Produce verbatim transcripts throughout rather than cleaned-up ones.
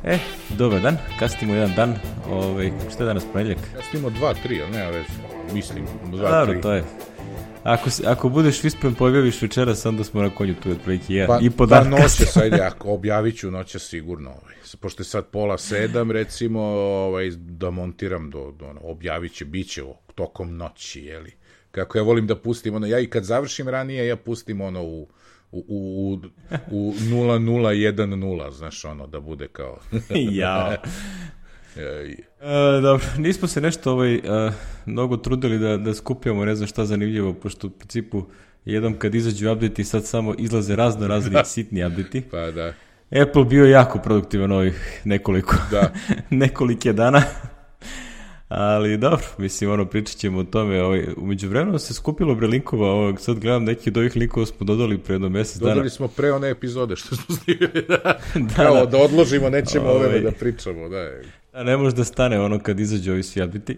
E, dobar dan, kasnimo jedan dan, ovaj, što je danas ponedjeljak? Kasnimo dva, tri, ali nema već, mislim, dva, Dobro, tri. to je. Ako, ako budeš vispen pojaviš večeras, onda smo na konju tu otprilike jedan pa, i po pa dan noće, kasnimo. sajde, ako objavit ću noće sigurno, ovaj. Pošto je sad pola sedam, recimo, ovaj, da montiram, do, do, objavit će, bit će tokom noći, jeli. Kako ja volim da pustim, ono, ja i kad završim ranije, ja pustim ono u u, u, u nula nula jedan nula, znaš, ono, da bude kao... Jao. E, dobro, nismo se nešto ovaj, uh, mnogo trudili da, da skupljamo, ne znam šta zanimljivo, pošto u principu jednom kad izađu update-i sad samo izlaze razno razni sitni update-i. Pa da. Apple bio jako produktivan ovih nekoliko, da. nekolike dana. Ali dobro, mislim, ono, pričat ćemo o tome. Ovaj, umeđu vremenu se skupilo bre linkova, ovog, sad gledam neki od ovih linkova smo dodali pre jedno mjesec dana. Dodali smo pre one epizode što smo snimili, da. da, Kao, da. da odložimo, nećemo Ove, ove da pričamo, da. Da, ne može da stane ono kad izađe ovi svi update-i.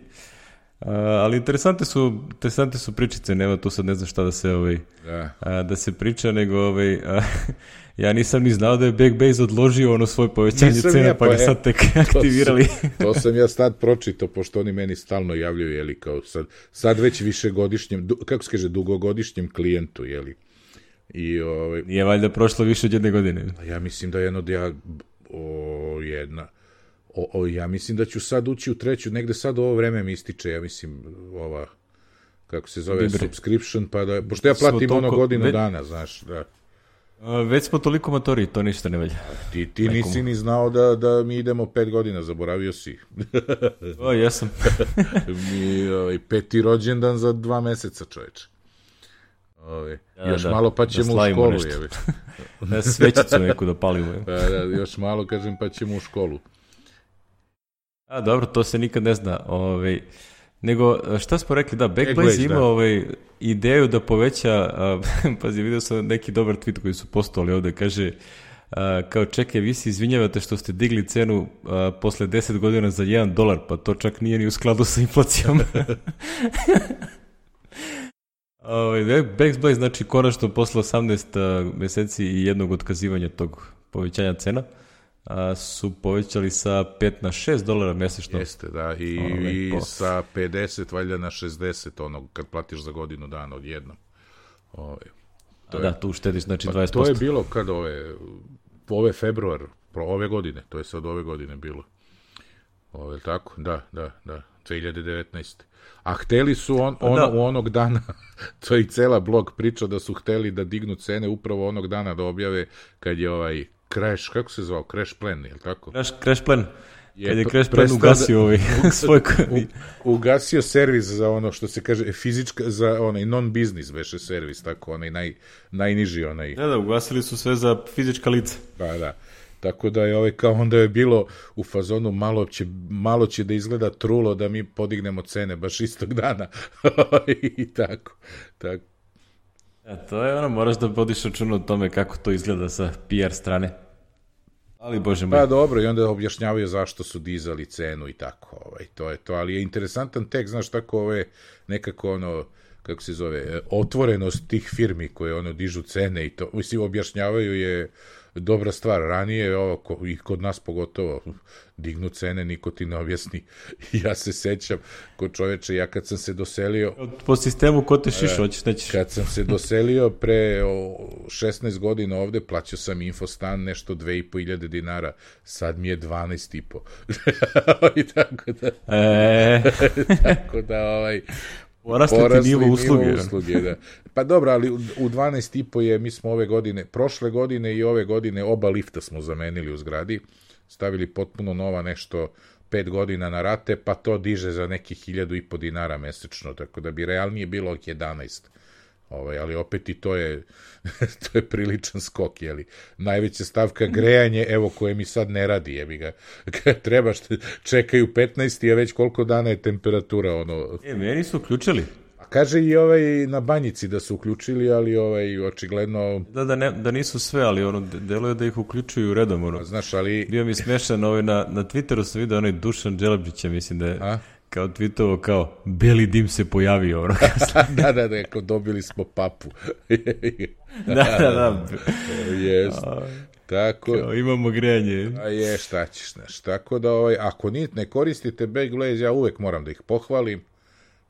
Uh, ali interesante su, interesante su pričice, nema tu sad ne znam šta da se, ovaj, da. Uh, da se priča, nego ovaj, uh, ja nisam ni znao da je Backbase odložio ono svoje povećanje nisam cena, ja, pa ga sad tek aktivirali. To, to sam ja sad pročitao, pošto oni meni stalno javljaju, jeli, kao sad, sad već višegodišnjem, du, kako se kaže, dugogodišnjem klijentu, jeli. I, ovaj, nije valjda prošlo više od jedne godine. Ja mislim da je jedno, ja, o, jedna... O, o, ja mislim da ću sad ući u treću, negde sad ovo vreme mi ističe, ja mislim, ova, kako se zove, Libre. subscription, pa da, pošto ja platim toliko, ono godinu ve, dana, znaš, da. A, već smo toliko matori, to ništa ne velja. Ti, ti nisi ni znao da, da mi idemo pet godina, zaboravio si. O, jesam. mi, ovaj, peti rođendan za dva meseca, čoveče. Ove, ja, još da, malo pa ćemo da u školu, jebe. Da svećicu neku da palimo. Pa da, još malo, kažem, pa ćemo u školu. A, dobro, to se nikad ne zna. Ovaj, nego, šta smo rekli, da, Backblaze, Backblaze ima da. ovaj, ideju da poveća, a, pazi, vidio sam neki dobar tweet koji su postovali ovde, kaže, a, kao čekaj, vi se izvinjavate što ste digli cenu a, posle deset godina za jedan dolar, pa to čak nije ni u skladu sa inflacijom. Ovaj, Backblaze, znači, konačno posle osamnaest a, meseci i jednog otkazivanja tog povećanja cena, a, su povećali sa pet na šest dolara mesečno. Jeste, da, i, Ove, i sa pedeset valjda na šezdeset, ono, kad platiš za godinu dana odjednom. Ove, to a je, da, tu uštediš, znači pa dvadeset posto. To je bilo kad ove, ove februar, ove godine, to je sad ove godine bilo. Ove, tako, da, da, da, dve hiljade devetnaeste. A hteli su on, ono, da. U onog dana, to je i cela blog priča da su hteli da dignu cene upravo onog dana da objave kad je ovaj Crash, kako se zvao, Crash Plan, je li tako? Crash, Crash Plan, je kad je Crash Plan ugasio ovaj svoj... U, ugasio servis za ono što se kaže fizička, za onaj non-business veše servis, tako, onaj naj, najniži onaj... Da, da, ugasili su sve za fizička lica. Pa da, tako da je ovaj kao onda je bilo u fazonu malo će, malo će da izgleda trulo da mi podignemo cene baš istog dana i tako, tako. A to je ono, moraš da vodiš računa o tome kako to izgleda sa P R strane. Ali, bože moj. Pa dobro, i onda objašnjavaju zašto su dizali cenu i tako, ovaj, to je to, ali je interesantan tekst, znaš, tako ove, nekako ono, kako se zove, otvorenost tih firmi koje ono dižu cene i to, mislim, objašnjavaju je dobra stvar, ranije, ovo, i kod nas pogotovo, dignu cene, niko ti ne objasni. Ja se sećam, kod čoveče, ja kad sam se doselio... Po sistemu ko te šiš, hoćeš, nećeš. Kad sam se doselio pre šesnaest godina ovde, plaćao sam Infostan nešto dve i po hiljade dinara, sad mi je dvanaest i po. I tako da... E... tako da, ovaj... Porasli ti nivo usluge. Nivo usluge, da. Pa dobro, ali u dvanaest i po je, mi smo ove godine, prošle godine i ove godine oba lifta smo zamenili u zgradi, stavili potpuno nova nešto pet godina na rate, pa to diže za nekih hiljadu i po dinara mesečno, tako da bi realnije bilo jedanaest. Ovaj, ali opet i to je to je priličan skok, jeli. Najveća stavka grejanje, evo, koje mi sad ne radi, jebi ga. Treba što čekaju petnaest, a već koliko dana je temperatura, ono... E, meni su uključili. A kaže i ovaj na banjici da su uključili, ali ovaj očigledno... Da, da, ne, da nisu sve, ali ono, deluje da ih uključuju redom, ono. A, znaš, ali... Bio mi smešan, ovaj, na, na Twitteru sam vidio onaj Dušan Đelabđića, mislim da je... A? Kao tweetovo, kao, beli dim se pojavio, ono. da, da, da, kao dobili smo papu. da, da, da. Jest. Tako, Kao, imamo grejanje. a je, šta ćeš, znaš. Tako da, ovaj, ako ni, ne koristite Backblaze, ja uvek moram da ih pohvalim.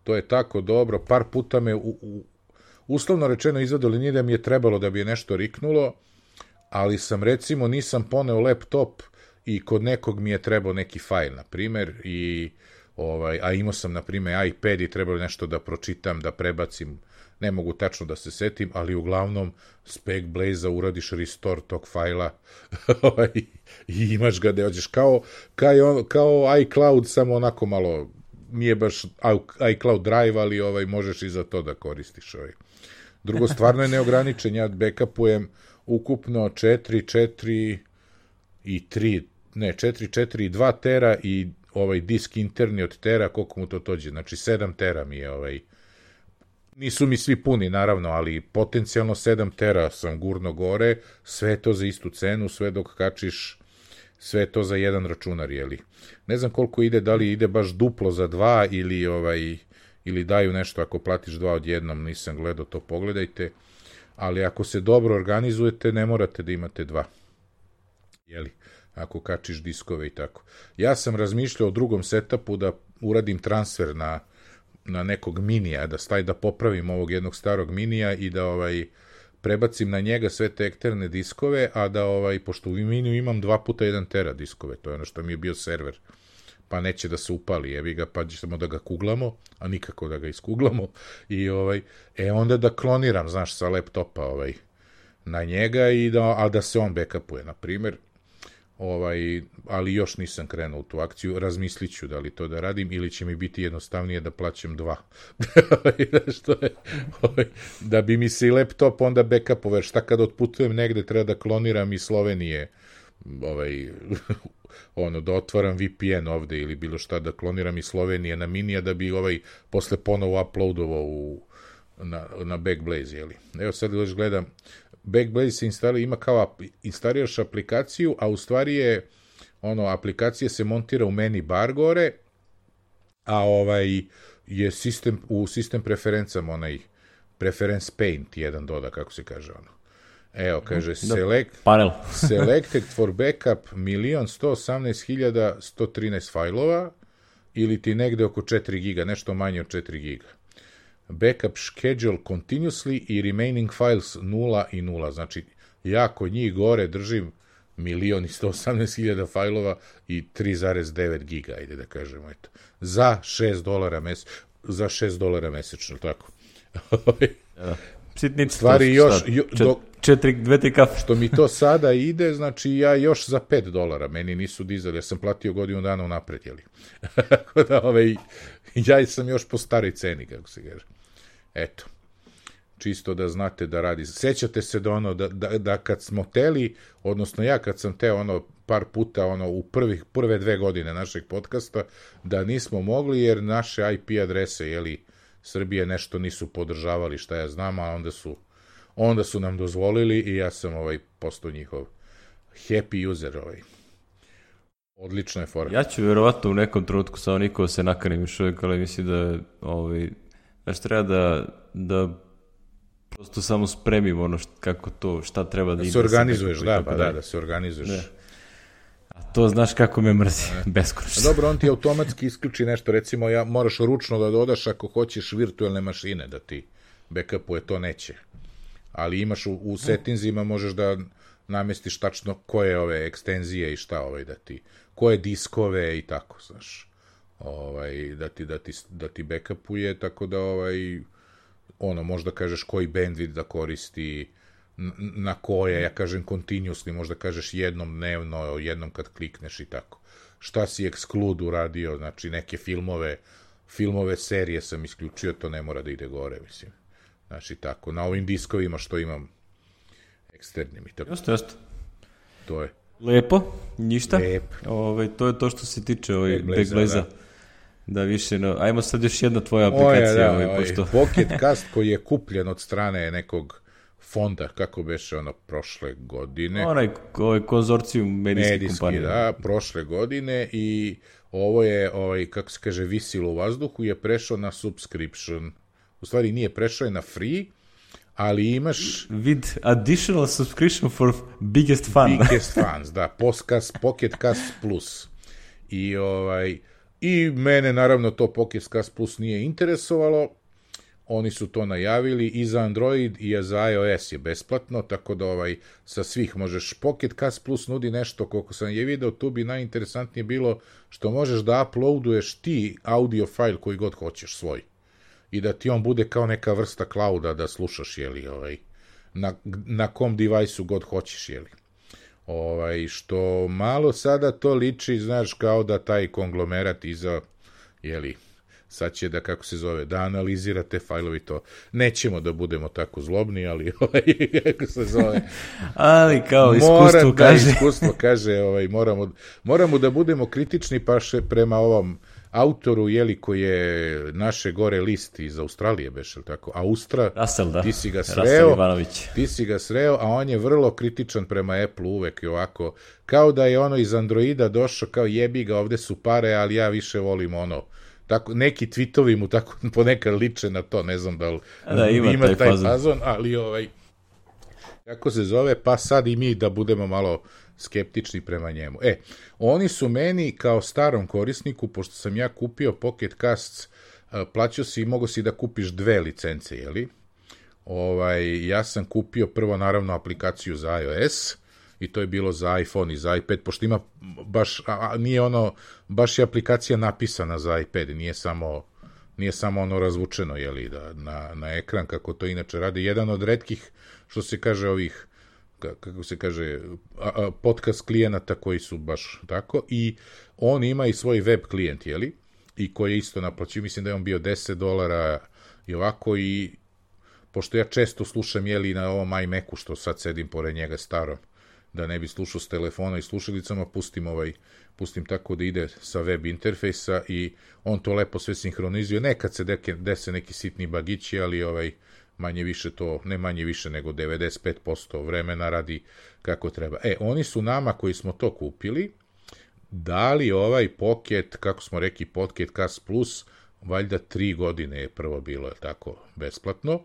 To je tako dobro. Par puta me, u, u, uslovno rečeno, izvadili, nije da mi je trebalo da bi je nešto riknulo, ali sam, recimo, nisam poneo laptop i kod nekog mi je trebao neki fajl, na primer, i, ovaj, a imao sam, na primer, iPad i trebalo nešto da pročitam, da prebacim, ne mogu tačno da se setim, ali uglavnom s Backblaze-a uradiš restore tog fajla i imaš ga da ođeš kao, kao, kao iCloud, samo onako malo, nije baš iCloud Drive, ali ovaj, možeš i za to da koristiš. Ovaj. Drugo, stvarno je neograničen, ja backupujem ukupno četiri, četiri i tri, ne, četiri, četiri i dva tera i ovaj disk interni od tera, koliko mu to tođe, znači sedam tera mi je ovaj. Nisu mi svi puni, naravno, ali potencijalno sedam tera sam gurno gore, sve to za istu cenu, sve dok kačiš, sve to za jedan računar, jeli. Ne znam koliko ide, da li ide baš duplo za dva ili, ovaj, ili daju nešto ako platiš dva odjednom, nisam gledao, to pogledajte, ali ako se dobro organizujete, ne morate da imate dva, jeli, ako kačiš diskove i tako. Ja sam razmišljao o drugom setupu da uradim transfer na na nekog minija, da staj da popravim ovog jednog starog minija i da ovaj prebacim na njega sve te eksterne diskove, a da ovaj, pošto u miniju imam dva puta jedan tera diskove, to je ono što mi je bio server, pa neće da se upali, jevi ga, pa ćemo da ga kuglamo, a nikako da ga iskuglamo, i ovaj, e onda da kloniram, znaš, sa laptopa ovaj, na njega, i da, a da se on backupuje, na primjer, ovaj, ali još nisam krenuo u tu akciju, razmislit ću da li to da radim ili će mi biti jednostavnije da plaćam dva. Što je, ovaj, da bi mi se i laptop onda backupove, šta kad otputujem negde treba da kloniram iz Slovenije, ovaj, ono, da otvaram V P N ovde ili bilo šta, da kloniram iz Slovenije na minija da bi ovaj posle ponovo uploadovao u, na, na Backblaze, jeli. Evo sad još gledam, Backblaze se instalira, ima kao instaliraš aplikaciju, a u stvari je ono, aplikacija se montira u menu bar gore, a ovaj je sistem, u sistem preferencama onaj preference paint jedan doda, kako se kaže ono. Evo, kaže, select, panel. selected for backup milion sto osamnaest hiljada sto trinaest fajlova, ili ti negde oko četiri giga, nešto manje od četiri giga. Backup schedule continuously i remaining files nula i nula. Znači, ja kod njih gore držim milion i sto osamnaest hiljada fajlova i tri zarez devet giga, ajde da kažemo, eto. Za šest dolara mesečno, za šest dolara mesečno, tako. Ja. Sitnice, stvari još, jo, do, četiri, dve, tri kafe. Što mi to sada ide, znači ja još za pet dolara, meni nisu dizali, ja sam platio godinu dana unapred, jeli. Tako da, ovaj, ja sam još po staroj ceni, kako se kaže. Eto, čisto da znate da radi. Sećate se da ono, da, da, da kad smo teli, odnosno ja kad sam teo ono par puta ono u prvih, prve dve godine našeg podcasta, da nismo mogli jer naše I P adrese, jeli, Srbije nešto nisu podržavali, šta ja znam, a onda su, onda su nam dozvolili i ja sam ovaj postao njihov happy user. Ovaj. Odlična je fora. Ja ću vjerovatno u nekom trenutku samo niko se nakanim još uvijek, ali mislim da ovaj, znaš, treba da, da prosto samo spremim ono št, kako to, šta treba da, da ide. Se organizuješ, da, pa da, da se organizuješ. Da. A to znaš kako me mrzi, beskonačno. Dobro, on ti automatski isključi nešto, recimo ja moraš ručno da dodaš ako hoćeš virtualne mašine da ti backupuje, to neće. Ali imaš u, u settingsima možeš da namestiš tačno koje ove ekstenzije i šta ovaj da ti, koje diskove i tako, znaš. Ovaj, da ti, da ti, da ti backupuje, tako da ovaj, ono, možda kažeš koji bandwidth da koristi, na koje, ja kažem continuously, možda kažeš jednom dnevno, jednom kad klikneš i tako. Šta si exclude uradio, znači neke filmove, filmove serije sam isključio, to ne mora da ide gore, mislim. Znači tako, na ovim diskovima što imam eksternim i tako. Jeste, jeste. To je. Lepo, ništa. Lep. Ove, to je to što se tiče ovaj Backblaze-a. Da. Da više, no, ajmo sad još jedna tvoja aplikacija. Oja, da, ovaj, ovaj, pošto... Pocket Cast koji je kupljen od strane nekog fonda, kako beše ono, prošle godine. Onaj ovaj konzorcijum medijske Medijski, kompanije. da, prošle godine i ovo je, ovaj, kako se kaže, visilo u vazduhu, je prešao na subscription. U stvari nije prešao je na free, ali imaš... With additional subscription for biggest fun. Biggest fans, da, Podcast, Pocket Cast Plus. I, ovaj, I mene, naravno, to Pocket Cast Plus nije interesovalo. Oni su to najavili i za Android i za iOS je besplatno, tako da ovaj, sa svih možeš. Pocket Cast Plus nudi nešto, koliko sam je video, tu bi najinteresantnije bilo što možeš da uploaduješ ti audio file koji god hoćeš svoj. I da ti on bude kao neka vrsta clouda da slušaš, jeli, ovaj, na, na kom devajsu god hoćeš, jeli. Ovaj, što malo sada to liči, znaš, kao da taj konglomerat iza, jeli, sad će da, kako se zove, da analizira te fajlovi, to nećemo da budemo tako zlobni, ali, ovaj, kako se zove, ali kao iskustvo mora, kaže. Da, iskustvo kaže, ovaj, moramo, moramo da budemo kritični pa še prema ovom autoru, jeli, koji je naše gore list iz Australije, beš, ili tako, Austra, Russell, da. ti si ga Russell sreo, Ivanović. ti si ga sreo, a on je vrlo kritičan prema Apple uvek i ovako, kao da je ono iz Androida došao, kao jebi ga, ovde su pare, ali ja više volim ono, tako, neki tweetovi mu tako ponekad liče na to, ne znam da li da, ima, ima taj, taj fazon. fazon, ali ovaj, kako se zove, pa sad i mi da budemo malo skeptični prema njemu. E, oni su meni kao starom korisniku, pošto sam ja kupio Pocket Casts, plaćao si i mogo si da kupiš dve licence, jeli? Ovaj, ja sam kupio prvo naravno aplikaciju za iOS, i to je bilo za iPhone i za iPad, pošto ima baš, a, nije ono, baš je aplikacija napisana za iPad, nije samo, nije samo ono razvučeno, jeli, da, na, na ekran, kako to inače radi. Jedan od retkih, što se kaže, ovih, kako se kaže, a, a, podcast klijenata koji su baš tako, i on ima i svoj web klijent, jeli, i koji je isto naplaćio, mislim da je on bio deset dolara i ovako, i pošto ja često slušam, jeli, na ovom iMacu, što sad sedim pored njega starom, da ne bi slušao s telefona i slušalicama, pustim ovaj, pustim tako da ide sa web interfejsa i on to lepo sve sinhronizuje. Nekad se deke, dese neki sitni bagići, ali ovaj, manje više to, ne manje više nego devedeset pet posto vremena radi kako treba. E, oni su nama koji smo to kupili dali ovaj Pocket, kako smo rekli, Pocket Cast Plus, valjda tri godine je prvo bilo, je tako, besplatno,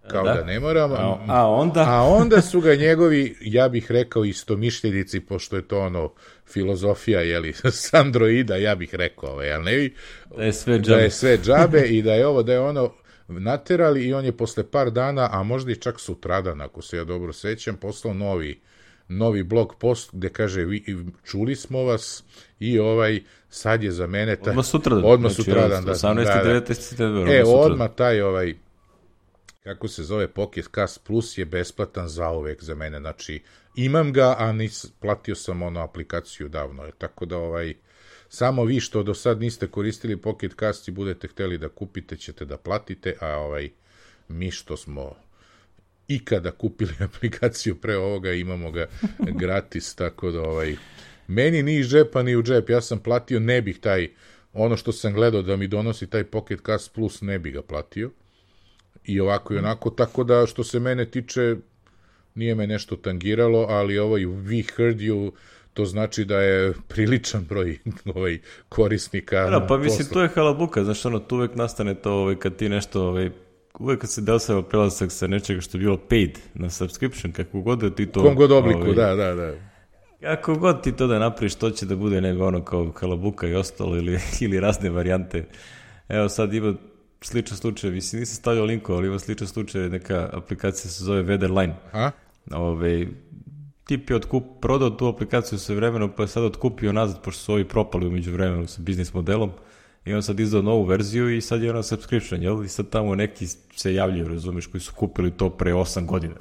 kao da, da ne moram, a, a, onda? a onda su ga njegovi, ja bih rekao, istomišljenici, pošto je to ono filozofija, jeli, s Androida, ja bih rekao, ovaj, ali ne vi, da je sve džabe, da je sve džabe i da je ovo, da je ono naterali, i on je posle par dana, a možda i čak sutradan, ako se ja dobro sećam, poslao novi, novi blog post gde kaže, vi, čuli smo vas i ovaj, sad je za mene taj, odmah sutradan, odmah sutradan, da, osamnaesti devetnaesti septembar, e, odmah taj ovaj, kako se zove, Pocket Cast Plus je besplatan zauvek za mene, znači imam ga, a nis, platio sam ono aplikaciju davno, tako da ovaj, samo vi što do sad niste koristili Pocket Cast i budete hteli da kupite, ćete da platite, a ovaj, mi što smo ikada kupili aplikaciju pre ovoga, imamo ga gratis, tako da ovaj, meni ni iz džepa ni u džep, ja sam platio, ne bih taj, ono što sam gledao da mi donosi taj Pocket Cast Plus, ne bih ga platio, i ovako i onako, tako da što se mene tiče, nije me nešto tangiralo, ali ovaj We Heard You, to znači da je priličan broj ovaj, korisnika. Da, pa mislim, to je halabuka, znaš, ono, tu uvek nastane to, ovaj, kad ti nešto, ovaj, uvek kad se desava prelazak sa nečega što je bilo paid na subscription, kako god da ti to... U kom god obliku, ovaj, da, da, da. Kako god ti to da napraviš, to će da bude nego ono kao halabuka i ostalo, ili, ili razne varijante. Evo sad ima sličan slučaj, mislim, nisam stavljao linkova, ali ima sličan slučaj, neka aplikacija se zove Weatherline. A? Ove, tip je otkup, prodao tu aplikaciju sve vremeno, pa je sad otkupio nazad, pošto su ovi propali umeđu vremenu sa biznis modelom, i on sad izdao novu verziju i sad je ona subscription, jel? I sad tamo neki se javljaju, razumiješ, koji su kupili to pre osam godina,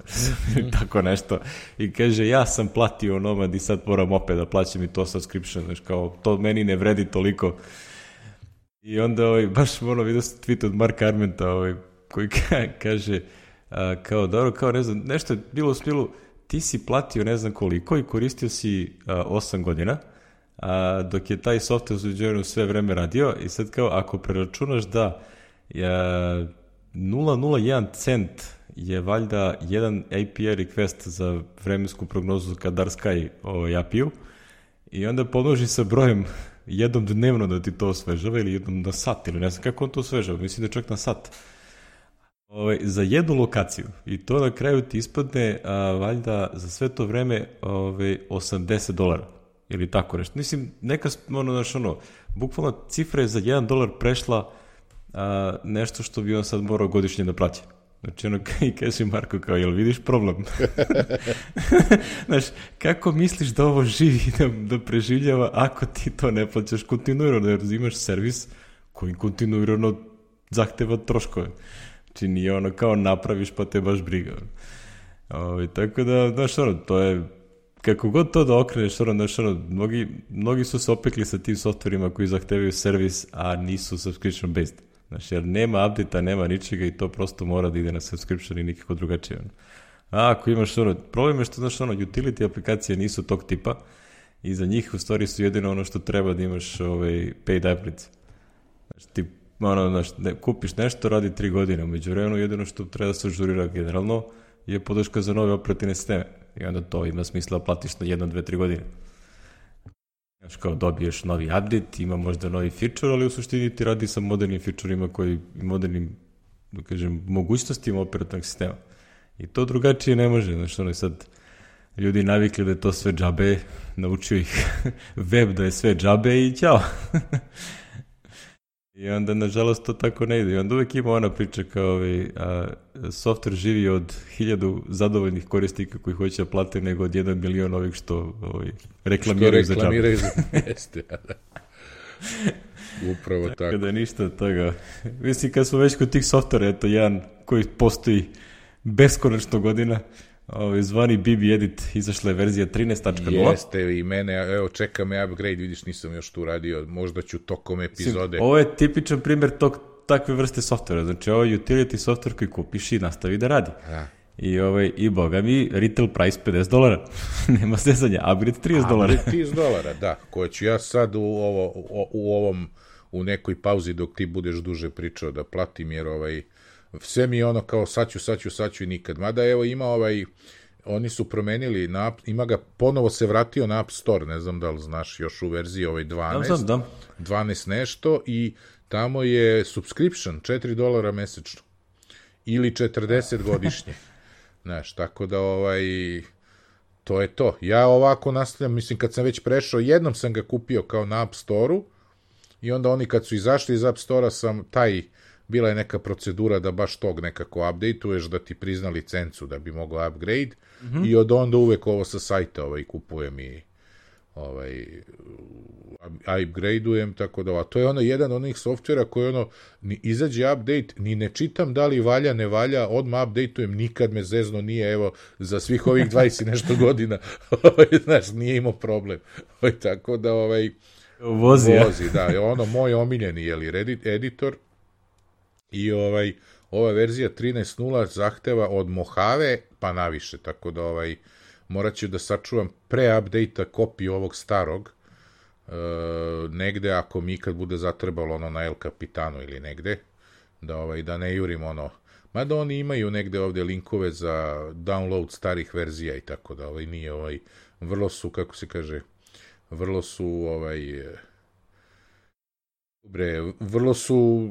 tako nešto, i kaže, ja sam platio Nomad i sad moram opet da plaćam i to subscription, znaš, kao, to meni ne vredi toliko. I onda, ovaj, baš ono, vidio sam tweet od Marka Armenta, ovaj, koji ka, kaže, a, kao, dobro, kao, ne znam, nešto je bilo u stilu, ti si platio ne znam koliko i koristio si a, osam godina, a, dok je taj software usuđeno sve vreme radio, i sad kao, ako preračunaš da ja, nula zarez nula jedan cent je valjda jedan A P I request za vremensku prognozu Kadar Sky ovaj, A P I-u, i onda pomnoži sa brojem jednom dnevno da ti to osvežava, ili jednom na sat, ili ne znam kako on to osvežava, mislim da čak na sat. Ovaj, za jednu lokaciju. I to na kraju ti ispadne a, valjda za sve to vreme ovaj, osamdeset dolara. Ili tako nešto. Mislim, neka, ono, znaš, ono, bukvalno cifra je za jedan dolar prešla a, nešto što bi on sad morao godišnje da plaća. Znači, ono, i kaže Marko, kao, jel vidiš problem? Znaš, kako misliš da ovo živi, da, da preživljava ako ti to ne plaćaš kontinuirano, jer imaš servis koji kontinuirano zahteva troškove. Znači, nije ono kao napraviš pa te baš briga. O, tako da, znaš, ono, to je, kako god to da okreneš, ono, znaš, ono, mnogi, mnogi su se opekli sa tim softverima koji zahtevaju servis, a nisu subscription based. Znači, jer nema update-a, nema ničega i to prosto mora da ide na subscription i nikako drugačije. Ono. A ako imaš ono, problem je što, znaš, ono, utility aplikacije nisu tog tipa i za njih u stvari su jedino ono što treba da imaš ovaj, paid upgrades. Znači, ti ono, znaš, ne, kupiš nešto, radi tri godine, među vremenu jedino što treba da se ažurira generalno je podrška za nove operativne sisteme. I onda to ima smisla da platiš na jedno, dve, tri godine. Znaš, kao dobiješ novi update, ima možda novi feature, ali u suštini ti radi sa modernim featurima koji, modernim, da kažem, mogućnostima operativnog sistema. I to drugačije ne može, znaš, ono je sad ljudi navikli da je to sve džabe, naučio ih web da je sve džabe i ćao. I onda, nažalost, to tako ne ide. I onda uvek ima ona priča kao ovaj, a, software živi od hiljadu zadovoljnih korisnika koji hoće da plate nego od jedan milion ovih što ovaj, reklamiraju za džabe. Što reklamiraju za jeste, da. Upravo tako. Kada ništa od toga. Mislim, kad smo već kod tih softvera, eto, jedan koji postoji beskonačno godina, ovaj, zvani B B Edit, izašla je verzija trinaest tačka nula. Jeste, i mene, evo, čeka me upgrade, vidiš, nisam još tu radio, možda ću tokom epizode. Ovo je tipičan primjer tog, takve vrste softvera, znači ovo je utility software koji kupiš i nastavi da radi. A. I, ovaj, i boga mi, retail price pedeset dolara, nema zezanja, upgrade trideset dolara. Upgrade trideset dolara, da, koje ću ja sad u, ovo, u, u ovom, u nekoj pauzi dok ti budeš duže pričao da platim, jer ovaj, sve mi je ono kao sad ću, sad ću, sad ću i nikad. Mada evo ima ovaj, oni su promenili, na, ima ga, ponovo se vratio na App Store, ne znam da li znaš, još u verziji ovaj dvanaest, da, znam, da. dvanaest nešto i tamo je subscription, četiri dolara mesečno ili četrdeset godišnje. Znaš, tako da ovaj, to je to. Ja ovako nastavljam, mislim kad sam već prešao, jednom sam ga kupio kao na App Store-u i onda oni kad su izašli iz App Store-a sam taj, bila je neka procedura da baš tog nekako update-uješ, da ti prizna licencu da bi mogao upgrade, mm-hmm. i od onda uvek ovo sa sajta ovaj, kupujem i ovaj, upgrade-ujem, tako da, a to je ono jedan onih softvera koji ono, ni izađe update, ni ne čitam da li valja, ne valja, odmah update-ujem, nikad me zezno nije, evo, za svih ovih dvadeset nešto godina, znaš, nije imao problem. Tako da, ovaj, vozi, vozi da, je ono moj omiljeni, jeli, Reddit editor, i ovaj, ova verzija trinaest nula zahteva od Mojave pa naviše, tako da ovaj, morat ću da sačuvam pre-update-a kopiju ovog starog, e, negde ako mi ikad bude zatrebalo ono na El Capitanu ili negde, da, ovaj, da ne jurim ono, mada oni imaju negde ovde linkove za download starih verzija i tako da ovaj, nije ovaj, vrlo su, kako se kaže, vrlo su ovaj, bre, vrlo su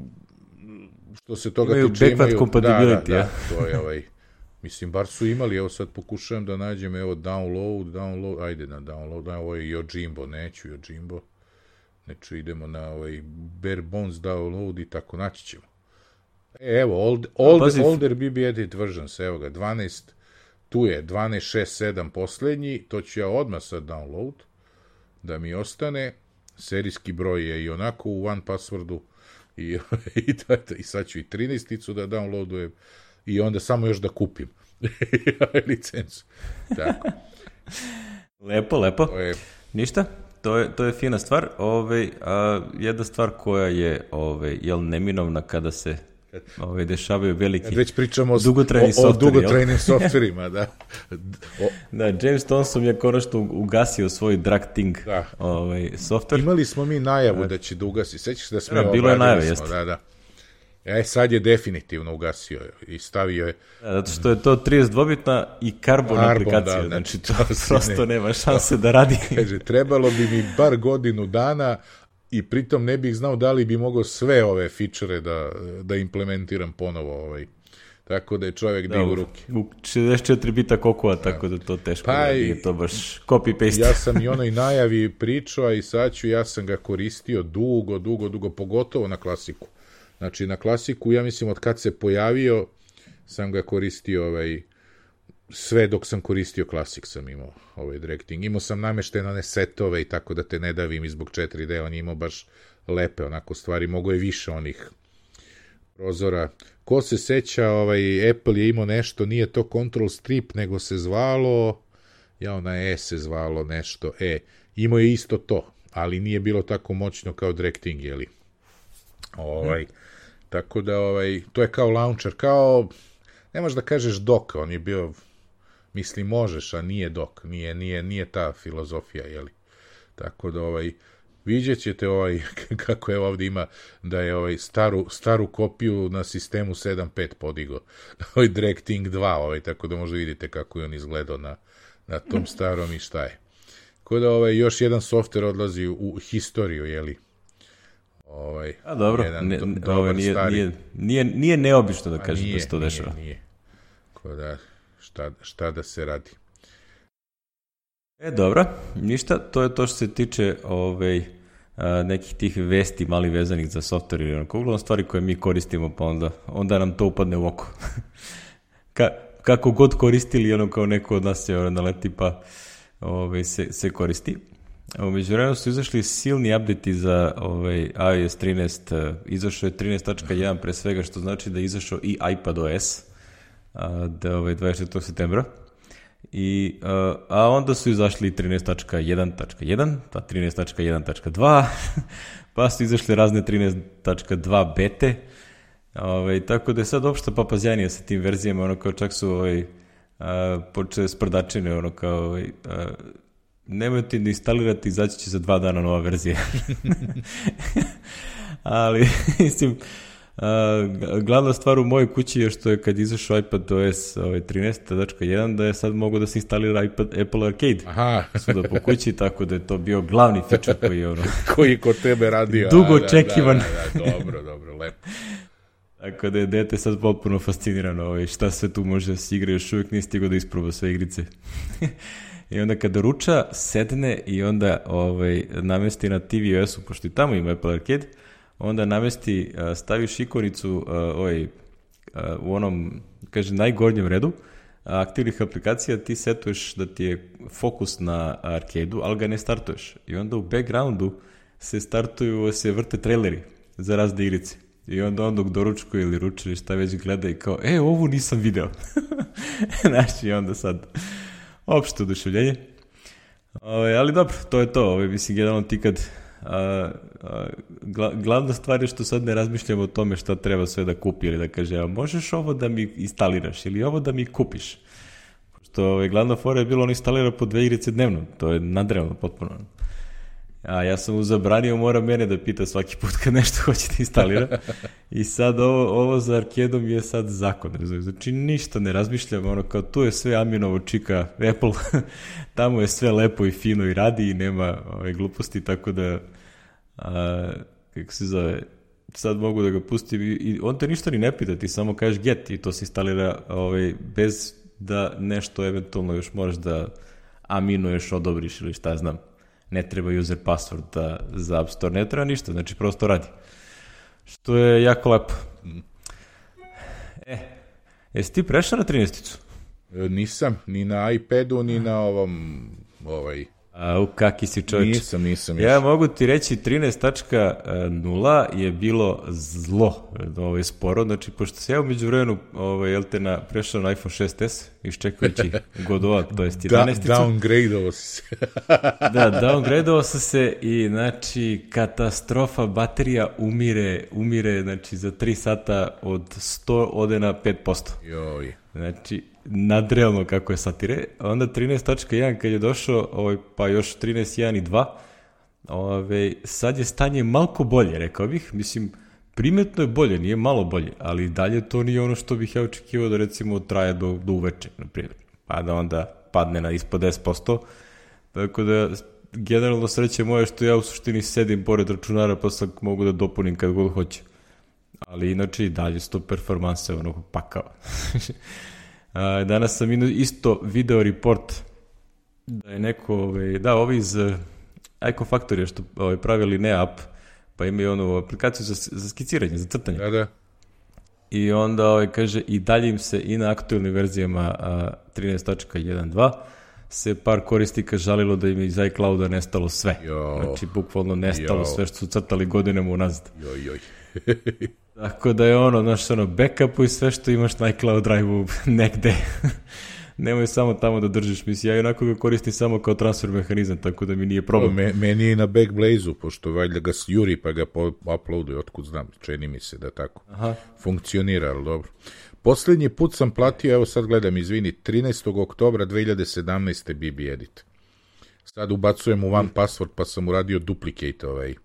što se toga imaju tiče, imaju compatibility, da, da, da, to je ovaj, mislim, bar su imali, evo sad pokušavam da nađem, evo, download, download, ajde na download, ovo je Yojimbo, neću Yojimbo, neću, idemo na ovaj bare bones download i tako, naći ćemo. E, evo, old, old, Pazi. older B B Edit versions, evo ga, dvanaest, tu je, dvanaest šest sedam poslednji, to ću ja odmah sad download, da mi ostane, serijski broj je i onako u one passwordu, I, i, to, i sad ću i trinaesticu da downloadujem i onda samo još da kupim licencu. Tako. Lepo, lepo. To je... Ništa, to je, to je fina stvar. Ove, a, jedna stvar koja je ove, jel, neminovna kada se ove, dešavaju veliki već pričamo dugotrajni o, o dugotrajnim softverima, da. O... Da, James Thompson je konačno ugasio svoj drag thing da. Ovaj, softver. Imali smo mi najavu da će da ugasi. Sećaš da smo da, bilo je najave, jeste. Da, da. E, sad je definitivno ugasio i stavio je... Da, zato što je to trideset dvobitna i karbon, karbon aplikacija, da, znači to prosto ne, nema šanse da radi. Kaže, trebalo bi mi bar godinu dana i pritom ne bih znao da li bi mogao sve ove fičere da, da implementiram ponovo ovaj, tako da je čovjek da, digao ruke. U šezdeset četiri bita kokova, tako da to teško, pa, da je to baš copy-paste. Ja sam i onoj najavi pričao, a i sad ću, ja sam ga koristio dugo, dugo, dugo, pogotovo na klasiku. Znači, na klasiku, ja mislim, od kad se pojavio, sam ga koristio, ovaj, sve dok sam koristio klasik sam imao ovaj directing. Imao sam nameštene one setove i tako da te ne davim i zbog četiri D, on je imao baš lepe onako stvari, mogo je više onih prozora. Ko se seća, ovaj, Apple je imao nešto, nije to Control Strip, nego se zvalo, ja ona E se zvalo nešto, E, imao je isto to, ali nije bilo tako moćno kao directing, jeli? Ovaj, hmm. Tako da, ovaj, to je kao launcher, kao, ne možeš da kažeš dock, on je bio, mislim, možeš, a nije dock, nije, nije, nije ta filozofija, jeli? Tako da, ovaj, vidjet ćete ovaj, kako je ovdje ima da je ovaj staru, staru kopiju na sistemu sedam pet podigo. Ovaj Directing dva, ovaj, tako da možda vidite kako je on izgledao na, na tom starom i šta je. Tako da ovaj, još jedan softver odlazi u historiju, jeli? Ovaj, a dobro, jedan ne, do, ovaj, dobar nije, stari. Nije, nije, nije neobično da kažem nije, da se to dešava. Nije, nije. Tako da, šta, šta da se radi? E, dobro, ništa, to je to što se tiče ovaj, a, nekih tih vesti mali vezanih za software ili onako, uglavnom stvari koje mi koristimo, pa onda, onda nam to upadne u oko. Ka, kako god koristili, ono kao neko od nas je naleti pa ovaj, se, se koristi. U međuvremenu su izašli silni update za ovaj, iOS trinaest, izašao je trinaest tačka jedan pre svega, što znači da je izašao i iPadOS a, da, ovaj, dvadeset četvrtog septembra. I, a, a onda su izašli trinaest tačka jedan tačka jedan, pa trinaest tačka jedan tačka dva, pa su izašli razne trinaest tačka dva bete, ovaj, tako da je sad opšta papazjanija sa tim verzijama, ono kao čak su ovaj, a, počele sprdačine, ono kao ovaj, a, nemojte da instalirati, izaći će za dva dana nova verzija. Ali, mislim, Uh, glavna stvar u mojoj kući je što je kad izašao iPadOS ovaj, trinaest tačka jedan da je sad mogo da se instalira iPad, Apple Arcade. Aha. Svuda po kući, tako da je to bio glavni feature koji je ono... koji kod tebe radio. Dugo očekivan. Da, da, da, dobro, dobro, lepo. Tako da je dete sad potpuno fascinirano ovaj, šta sve tu može da se igra, još uvijek nije stigo da isproba sve igrice. I onda kada ruča, sedne i onda ovaj, namesti na tvOS-u, pošto i tamo ima Apple Arcade, onda namesti, staviš ikonicu ovaj, u onom, kaže, najgornjem redu aktivnih aplikacija, ti setuješ da ti je fokus na arcade-u, ali ga ne startuješ. I onda u backgroundu se startuju, se vrte traileri za razne igrice. I onda on dok doručkuje ili ruče ili šta već gleda i kao, e, ovu nisam video. Znači, i onda sad opšte oduševljenje. Ove, ali dobro, to je to. Ove, mislim, generalno ti kad... A, a, gla, glavna stvar je što sad ne razmišljamo o tome šta treba sve da kupi ili da kaže, a možeš ovo da mi instaliraš ili ovo da mi kupiš. Što ove, glavna fora je bilo on instalira po dve igrice dnevno, to je nadrevno potpuno. A ja sam mu zabranio, mora mene da pita svaki put kad nešto hoće da instalira. I sad ovo, ovo za arkedom je sad zakon. Znači ništa ne razmišljam, ono kao tu je sve Aminovo čika Apple, tamo je sve lepo i fino i radi i nema ove gluposti, tako da a, kako se zove, sad mogu da ga pustim i, i on te ništa ni ne pita, ti samo kažeš get i to se instalira ovaj, bez da nešto eventualno još moraš da aminuješ, odobriš ili šta znam. Ne treba user password da, za App Store, ne treba ništa, znači prosto radi. Što je jako lepo. E, jesi ti prešao na trinaesticu? Nisam, ni na iPadu, ni na ovom, ovaj... A, u kaki si čovječ. Nisam, nisam. Ja mogu ti reći trinaest tačka nula je bilo zlo, ovo je sporo, znači pošto se ja umeđu vremenu ovaj, jel te na, prešao na iPhone šest es, iščekujući Godova, to jest jedanaesticu. Da, downgradeovo si se. Da, downgradeovo sam se i znači katastrofa, baterija umire, umire znači za tri sata od sto ode na pet posto. Joj. Znači, nadrealno kako je satire. Onda trinaest tačka jedan kad je došao, ovaj, pa još trinaest tačka jedan i dva, ovaj, sad je stanje malko bolje, rekao bih. Mislim, primetno je bolje, nije malo bolje, ali dalje to nije ono što bih ja očekivao da recimo traje do, do uveče, na primjer. Pa da onda padne na ispod deset posto. Tako da, generalno sreće moje što ja u suštini sedim pored računara pa sad mogu da dopunim kad god hoće. ali inače i dalje sto performanse onog pakao. Danas sam isto video report da je neko, ovaj, da, ovi iz Icon Factory što ovaj, pravili ne app, pa imaju onu aplikaciju za, za skiciranje, za crtanje. Da, da. I onda ovaj, kaže i dalje im se i na aktualnim verzijama trinaest tačka jedan dva se par korisnika žalilo da im je iz iClouda nestalo sve. Jo. Znači, bukvalno nestalo jo. sve što su crtali godinama unazad. Joj, joj. Tako da je ono, znaš, ono, backupu i sve što imaš na iCloud drive-u negde. Nemoj samo tamo da držiš, mislim, ja i onako ga koristim samo kao transfer mehanizam, tako da mi nije problem. Me, meni je na Backblaze-u, pošto valjda ga juri pa ga uploaduje, otkud znam, čini mi se da tako Aha. funkcionira, ali dobro. Posljednji put sam platio, evo sad gledam, izvini, trinaestog oktobra dve hiljade sedamnaeste B B Edit. Sad ubacujem u one password, pa sam uradio duplicate ovaj.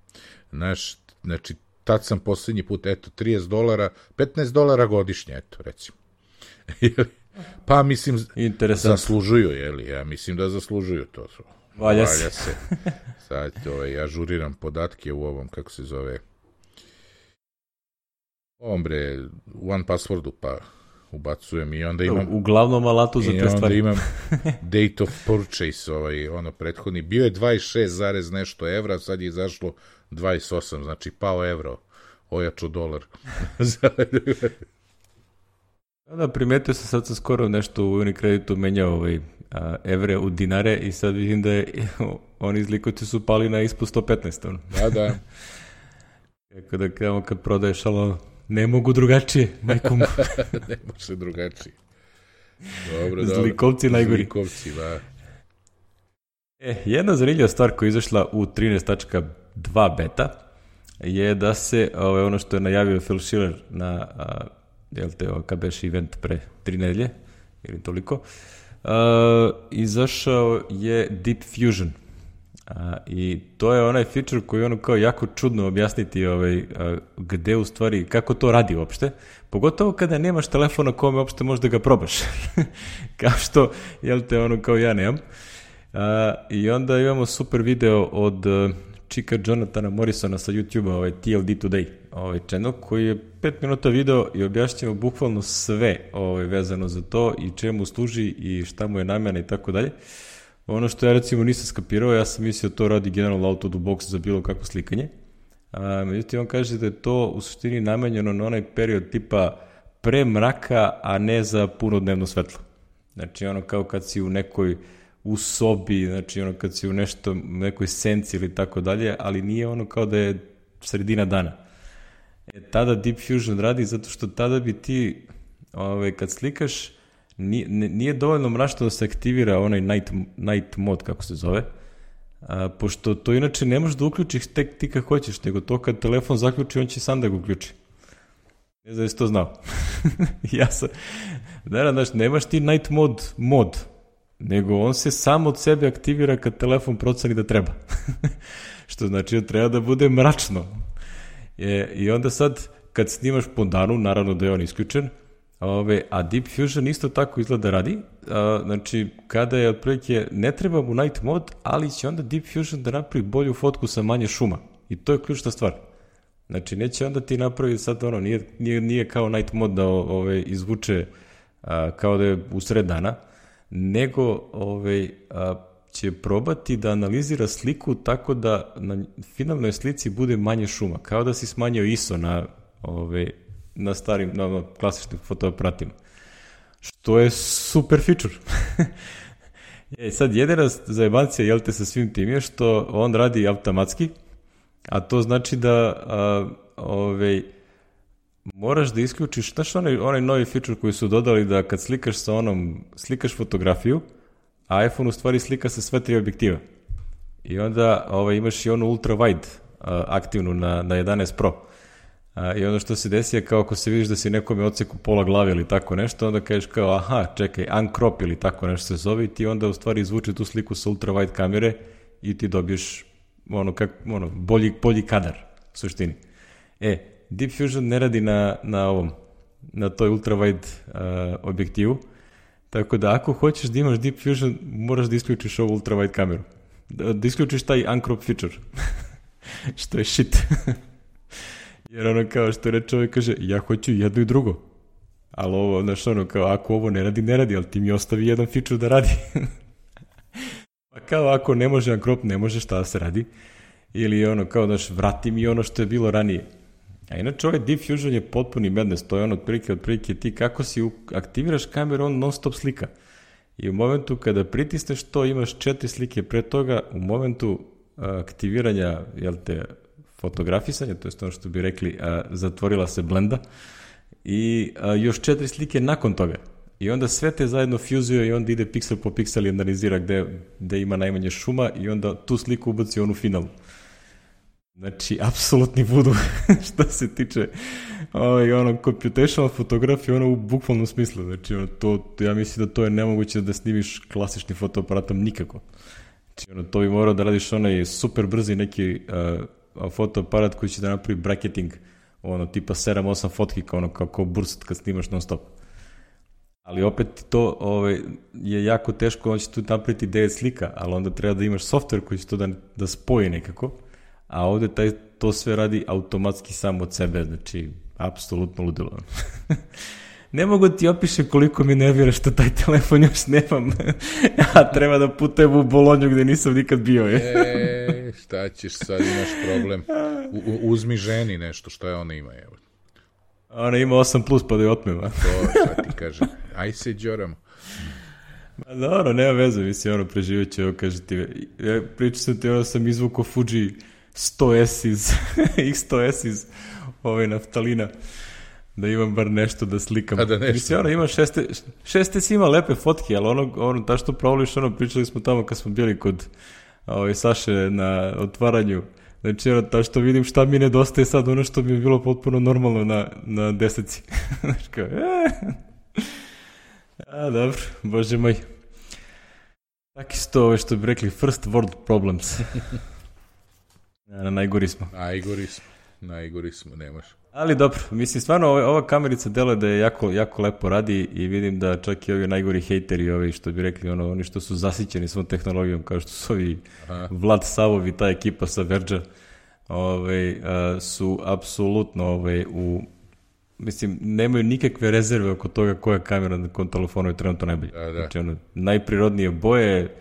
Znaš, znači, tad sam posljednji put, eto, trideset dolara, petnaest dolara godišnje, eto, recimo. Pa, mislim, zaslužuju, jeli, ja mislim da zaslužuju to. Valja, Valja se. se. Sad, ovaj, ja žuriram podatke u ovom, kako se zove, ovom bre, u one passwordu, pa ubacujem i onda imam... U glavnom alatu za te stvari. I onda imam date of purchase, ovaj, ono, prethodni. Bio je dvadeset šest zarez nešto evra, sad je izašlo dvadeset osam, znači pao evro, ojačo dolar. Da, primetio sam, sad sam skoro nešto u Unikreditu menjao ovaj, a, evre u dinare i sad vidim da je, oni izlikovci su pali na ispod sto petnaest. Ono. Da, da. Kako da kamo kad prodaješ, ali ne mogu drugačije, majkom. Ne može drugačije. Dobro, dobro. Zlikovci najgori. Zlikovci, da. E, jedna zanimljiva stvar koja je izašla u trinaest tačka dva beta je da se, ovaj, ono što je najavio Phil Schiller na... A, jel te, kad beš event pre tri nedelje, ili toliko, uh, izašao je Deep Fusion. Uh, I to je onaj feature koji je ono kao jako čudno objasniti ovaj, uh, gde u stvari, kako to radi uopšte, pogotovo kada nemaš telefona kome uopšte možda ga probaš. Kao što, jel te, ono kao ja nemam. Uh, I onda imamo super video od uh, čika Jonathana Morrisona sa YouTube-a, ovaj T L D Today, ovaj channel, koji je pet minuta video i objašnjava bukvalno sve ovaj, vezano za to i čemu služi i šta mu je namjena i tako dalje. Ono što ja recimo nisam skapirao, ja sam mislio to radi generalno out of the box za bilo kakvo slikanje. A, međutim, on kaže da je to u suštini namenjeno na onaj period tipa pre mraka, a ne za punodnevno svetlo. Znači ono kao kad si u nekoj u sobi, znači ono kad si u nešto, nekoj senci ili tako dalje, ali nije ono kao da je sredina dana. E, tada Deep Fusion radi zato što tada bi ti, ovaj, kad slikaš, nije, nije dovoljno mračno da se aktivira onaj night, night mode, kako se zove, a, pošto to inače ne možeš da uključiš tek ti kad hoćeš, nego to kad telefon zaključi, on će sam da ga uključi. Ne znam da si to znao. Ja sam, da, znaš, nemaš ti night mode mod, nego on se sam od sebe aktivira kad telefon proceni da treba. Što znači da treba da bude mračno. E, I onda sad, kad snimaš po danu, naravno da je on isključen, ove, a Deep Fusion isto tako izgleda radi. A, znači, kada je otprilike, ne treba mu night mode, ali će onda Deep Fusion da napravi bolju fotku sa manje šuma. I to je ključna stvar. Znači, neće onda ti napraviti sad ono, nije, nije, nije kao night mode da ove, izvuče a, kao da je u sred dana, nego ove, a, će probati da analizira sliku tako da na finalnoj slici bude manje šuma, kao da si smanjio I S O na, ove, na starim, na, na klasičnim fotoaparatima. Što je super feature. E, sad, jedina zajebancija, jel te, sa svim tim je što on radi automatski, a to znači da a, ove, moraš da isključiš, znaš onaj, onaj novi feature koji su dodali da kad slikaš sa onom, slikaš fotografiju, a iPhone u stvari slika sa sve tri objektiva. I onda ovaj, imaš i onu ultra wide a, aktivnu na, na jedanaest Pro. A, I onda što se desi je kao ako se vidiš da si nekome odseku pola glave ili tako nešto, onda kažeš kao aha, čekaj, uncrop ili tako nešto se zove i ti onda u stvari izvuče tu sliku sa ultra wide kamere i ti dobiješ ono, kak, ono, bolji, bolji kadar u suštini. E, Deep Fusion ne radi na, na ovom, na toj ultra wide uh, objektivu, tako da ako hoćeš da imaš Deep Fusion, moraš da isključiš ovu ultra wide kameru. Da, da isključiš taj uncrop feature. Što je shit. Jer ono kao što reče ovaj kaže, ja hoću jedno i drugo. Ali ovo, znaš, ono kao, ako ovo ne radi, ne radi, ali ti mi ostavi jedan feature da radi. Pa kao, ako ne može Unkrop, ne može šta da se radi. Ili ono, kao, znaš, vrati mi ono što je bilo ranije. A inače, ovaj Diffusion je potpuni madness, to je ono, otprilike, otprilike, ti kako si aktiviraš kameru, on non stop slika. I u momentu kada pritisneš to, imaš četiri slike pre toga, u momentu aktiviranja, jel te, fotografisanja, to je ono što bi rekli, a, zatvorila se blenda, i a, još četiri slike nakon toga. I onda sve te zajedno fuzuje i onda ide piksel po piksel i analizira gde, gde ima najmanje šuma i onda tu sliku ubaci onu finalu. Znači, apsolutni voodoo što se tiče ovaj, ono, computational fotografije, ono u bukvalnom smislu. Znači, ono, to, ja mislim da to je nemoguće da snimiš klasičnim fotoaparatom nikako. Znači, ono, to bi morao da radiš onaj super brzi neki uh, fotoaparat koji će da napravi bracketing, ono, tipa sedam osam fotki, kao, ono, kao, kao burst kad snimaš non stop. Ali opet to ovaj, je jako teško, on će tu napraviti devet slika, ali onda treba da imaš software koji će to da, da spoji nekako, a ovde taj, to sve radi automatski sam od sebe, znači, apsolutno ludilo. Ne mogu ti opiše koliko mi nervira što taj telefon još nemam, a treba da putujem u Bolonju gde nisam nikad bio. Je. E, šta ćeš sad, imaš problem. U, u, uzmi ženi nešto, šta je ona ima, evo. Ona ima osam plus pa da je otmeva. To, šta ti kaže, aj se džoramo. Ma dobro, nema veze, mislim, ono, preživjet će, ovo kaže ti, ja pričam sam ti, ono, sam izvukao Fuji sto S iz, X sto S iz ovaj naftalina, da imam bar nešto da slikam. A da nešto. Mislim, ono, ima šeste, šeste si ima lepe fotke, ali ono, ono, ta što provoliš, ono, pričali smo tamo kad smo bili kod ovaj, Saše na otvaranju. Znači, ono, ta što vidim šta mi nedostaje sad, ono što mi je bilo potpuno normalno na, na deseci. Znači, kao, e. A, dobro, bože moj. Tako isto ove što bi rekli, first world problems. Na, najgori smo. Najgori smo, najgori smo, nemaš. Ali dobro, mislim, stvarno ova, ova kamerica deluje da je jako, jako lepo radi i vidim da čak i ovi najgori hejteri, ovi što bi rekli, ono, oni što su zasićeni svom tehnologijom, kao što su ovi Aha. Vlad Savovi, ta ekipa sa Verđa, ovaj, a, su apsolutno ovaj, u, mislim, nemaju nikakve rezerve oko toga koja kamera na kom telefonu je trenutno najbolje. Da, da. Znači, ono, najprirodnije boje,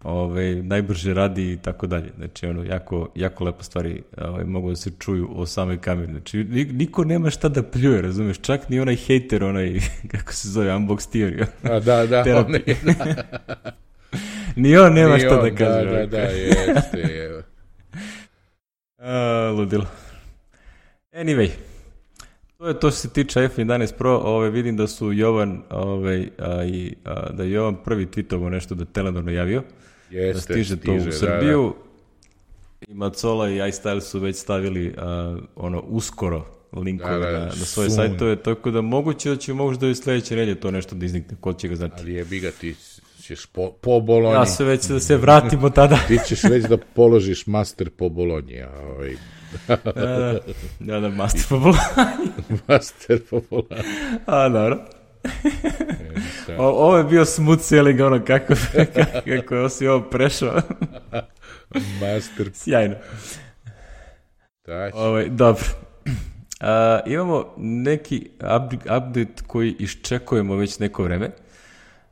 Ove, najbrže radi i tako dalje. Znači, ono, jako, jako lepo stvari ove, mogu da se čuju o samoj kameri. Znači, niko nema šta da pljuje, razumeš? Čak ni onaj hejter, onaj, kako se zove, Unbox Theory. A, da, da, on je, da. Ni on nema ni šta on, da kaže. Da, da, da, jeste, je. A, ludilo. Anyway, to je to što se tiče iPhone jedanaest Pro. Ove, vidim da su Jovan, ove, a, i, a, da je Jovan prvi tweetovo nešto da Telenor najavio. Jeste, da stiže, stiže to u Srbiju. Da, da. I Macola i iStyle su već stavili uh, ono uskoro linkove da, da, na, na svoje sajtove, tako da moguće da će možda i sledeće nedelje to nešto da iznikne, ko će ga znati. Ali jebi ga, ti ćeš po, po Bolonji. Ja se već da se vratimo tada. Ti ćeš već da položiš master po Bolonji. Ovaj. da, da, da, da, master po Bolonji. Master po Bolonji. A, dobro. O, ovo je bio smooth sailing, ono, kako, kako je osi ovo prešao. Master. Sjajno. Ovo, dobro. A, imamo neki update koji iščekujemo već neko vreme.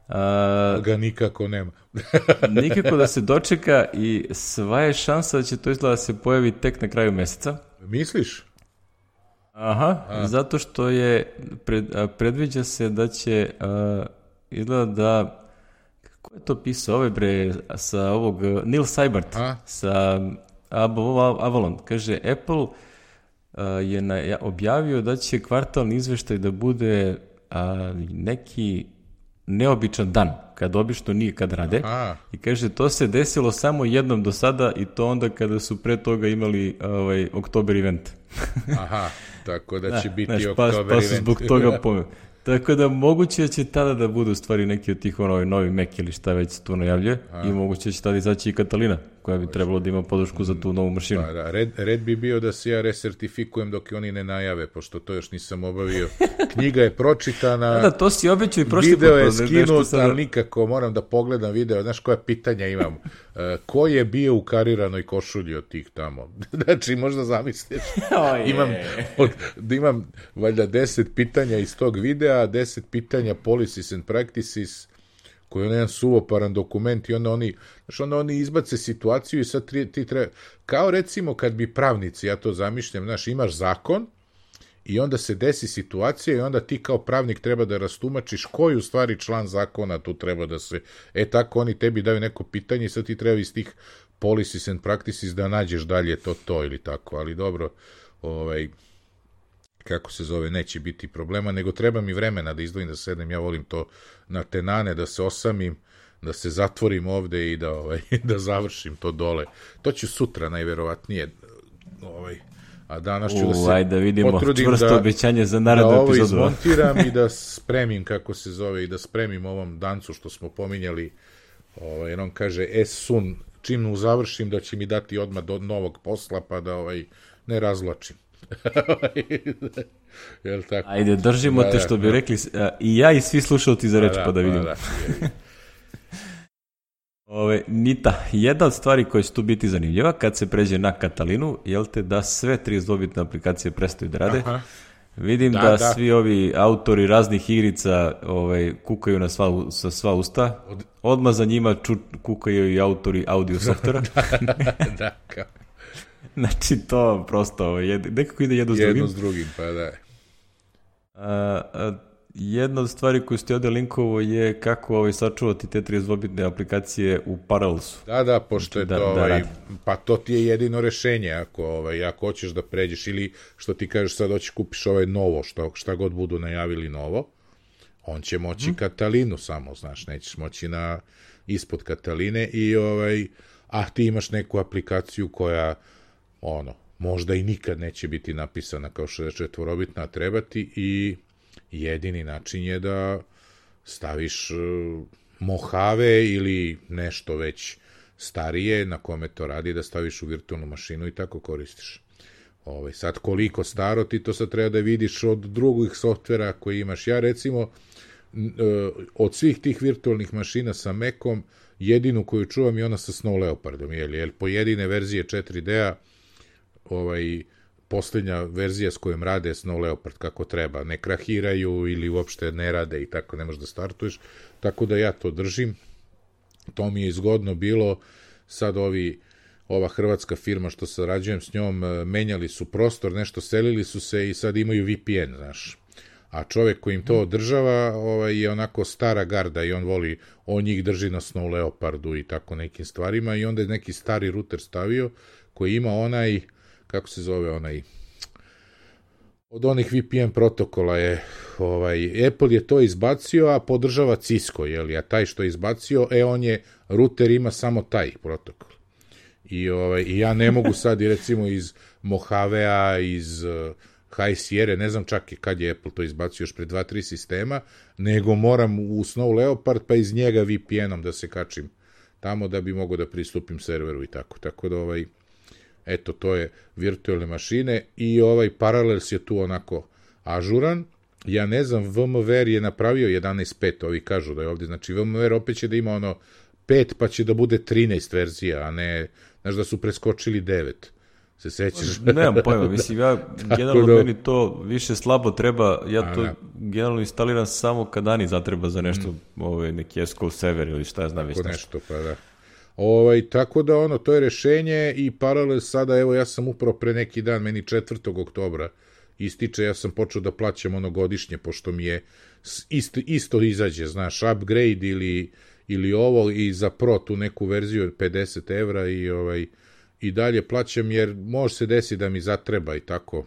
A, ga nikako nema. nikako da se dočeka i sva je šansa da će to izgleda da se pojavi tek na kraju meseca. Misliš? Aha, a. zato što je pred, predviđa se da će a, izgleda da, kako je to pisao, ove bre, sa ovog, Neil Seibert, a? sa Avalon, kaže, Apple a, je na, objavio da će kvartalni izveštaj da bude a, neki neobičan dan, kad obično nije kad rade. Aha. I kaže, to se desilo samo jednom do sada i to onda kada su pre toga imali ovaj, Oktober event. Aha, tako da će da, biti znaš, Oktober pa, event. Pa su zbog toga pomeo. Tako da moguće da će tada da budu stvari neki od tih ono, novi Mac ili šta već tu najavljuje. Aha. I moguće da će tada izaći i Katalina. koja bi trebalo da ima podršku za tu novu mašinu. Pa da, red, red bi bio da se ja resertifikujem dok oni ne najave, pošto to još nisam obavio. Knjiga je pročitana. Da, da, to si obećao i prošli video je put, skinut, sad... ali nikako moram da pogledam video. Znaš koja pitanja imam? Uh, ko je bio u kariranoj košulji od tih tamo? Znači, možda zamisliš. Oh, imam, od, imam valjda deset pitanja iz tog videa, deset pitanja policies and practices, koji je jedan suvoparan dokument i onda oni, znaš, onda oni izbace situaciju i sad ti, ti treba, kao recimo kad bi pravnici, ja to zamišljam, znaš, imaš zakon i onda se desi situacija i onda ti kao pravnik treba da rastumačiš koji u stvari član zakona tu treba da se, e tako oni tebi daju neko pitanje i sad ti treba iz tih policies and practices da nađeš dalje to, to ili tako, ali dobro, ovaj, kako se zove, neće biti problema, nego treba mi vremena da izdvojim da sedem, ja volim to na tenane, da se osamim, da se zatvorim ovde i da, ovaj, da završim to dole. To ću sutra najverovatnije, ovaj, a danas ću U, da se ajde da vidimo potrudim čvrsto da, obećanje za da narednu ovo epizodu. izmontiram i da spremim, kako se zove, i da spremim ovom dancu što smo pominjali, ovaj, jer on kaže, es sun, čim završim da će mi dati odmah do novog posla, pa da ovaj, ne razvlačim. Jel tako? Ajde, držimo da, te što da, bi da. rekli a, i ja i svi slušalci za reč, da, pa da vidimo. Da, da. Ove, Nita, jedna od stvari koja će tu biti zanimljiva kad se pređe na Katalinu, jel te da sve tridesetbitne aplikacije prestaju da rade. Aha. Vidim da, Da, da da. svi ovi autori raznih igrica ovaj, kukaju na sva, sa sva usta. Odmah za njima ču, kukaju i autori audio softvera. Da, kao. Znači to prosto jed, nekako ide jedno s drugim. Jedno s drugim, pa da. A, a, jedna od stvari koju ste ovdje linkovo je kako ovaj, sačuvati te tridesetbitne aplikacije u Parallelsu. Da, da, pošto je Da- to, da ovaj, radi. pa to ti je jedino rešenje, ako, ovaj, ako hoćeš da pređeš, ili što ti kažeš sad hoćeš kupiš ovaj novo, što, šta god budu najavili novo, on će moći Mhm. Katalinu samo, znaš, nećeš moći na ispod Kataline i ovaj, a ti imaš neku aplikaciju koja, ono, možda i nikad neće biti napisana kao šezdeset četvorobitna, a treba ti, i jedini način je da staviš uh, Mojave ili nešto već starije na kome to radi, da staviš u virtualnu mašinu i tako koristiš. Ovaj, sad koliko staro ti to sad treba da vidiš od drugih softvera koji imaš. Ja recimo n- e, od svih tih virtualnih mašina sa Macom jedinu koju čuvam je ona sa Snow Leopardom, jel, jel pojedine verzije četiri D-a ovaj, posljednja verzija s kojom rade Snow Leopard kako treba, ne krahiraju ili uopšte ne rade i tako ne možeš da startuješ, tako da ja to držim. To mi je izgodno bilo. Sad ovi, ova hrvatska firma što sarađujem s njom, e, menjali su prostor, nešto selili su se i sad imaju V P N, znaš. A čovjek koji im to održava ovaj, je onako stara garda i on voli, on njih drži na Snow Leopardu i tako nekim stvarima i onda je neki stari router stavio koji ima onaj, kako se zove onaj, od onih V P N protokola je, ovaj, Apple je to izbacio, a podržava Cisco, jel, a taj što je izbacio, e, on je, router ima samo taj protokol. I, ovaj, i ja ne mogu sad, i recimo iz Mojavea, iz uh, High Sierra, ne znam čak i kad je Apple to izbacio, još pre dva tri sistema, nego moram u Snow Leopard, pa iz njega V P N-om da se kačim tamo da bi mogao da pristupim serveru i tako. Tako da, ovaj, eto, to je virtualne mašine i ovaj Parallels je tu onako ažuran. Ja ne znam, VMware je napravio jedanaest pet, ovi kažu da je ovdje, znači VMware opet će da ima ono pet, pa će da bude trinaest verzija, a ne, znaš da su preskočili devet. Se sećaš? Nemam pojma, mislim, ja generalno da- meni to više slabo treba, ja A, to da. generalno instaliram samo kad Ani zatreba za nešto, ovaj, neki S Q L server ili šta ja znam već Tako nešto. nešto, pa da. Ovaj, tako da ono, to je rešenje i paralel sada, evo ja sam upravo pre neki dan, meni četvrtog oktobra ističe, ja sam počeo da plaćam ono godišnje, pošto mi je s- isto, isto izađe, znaš, upgrade ili, ili ovo i za pro tu neku verziju pedeset evra i ovaj, i dalje plaćam jer može se desiti da mi zatreba i tako.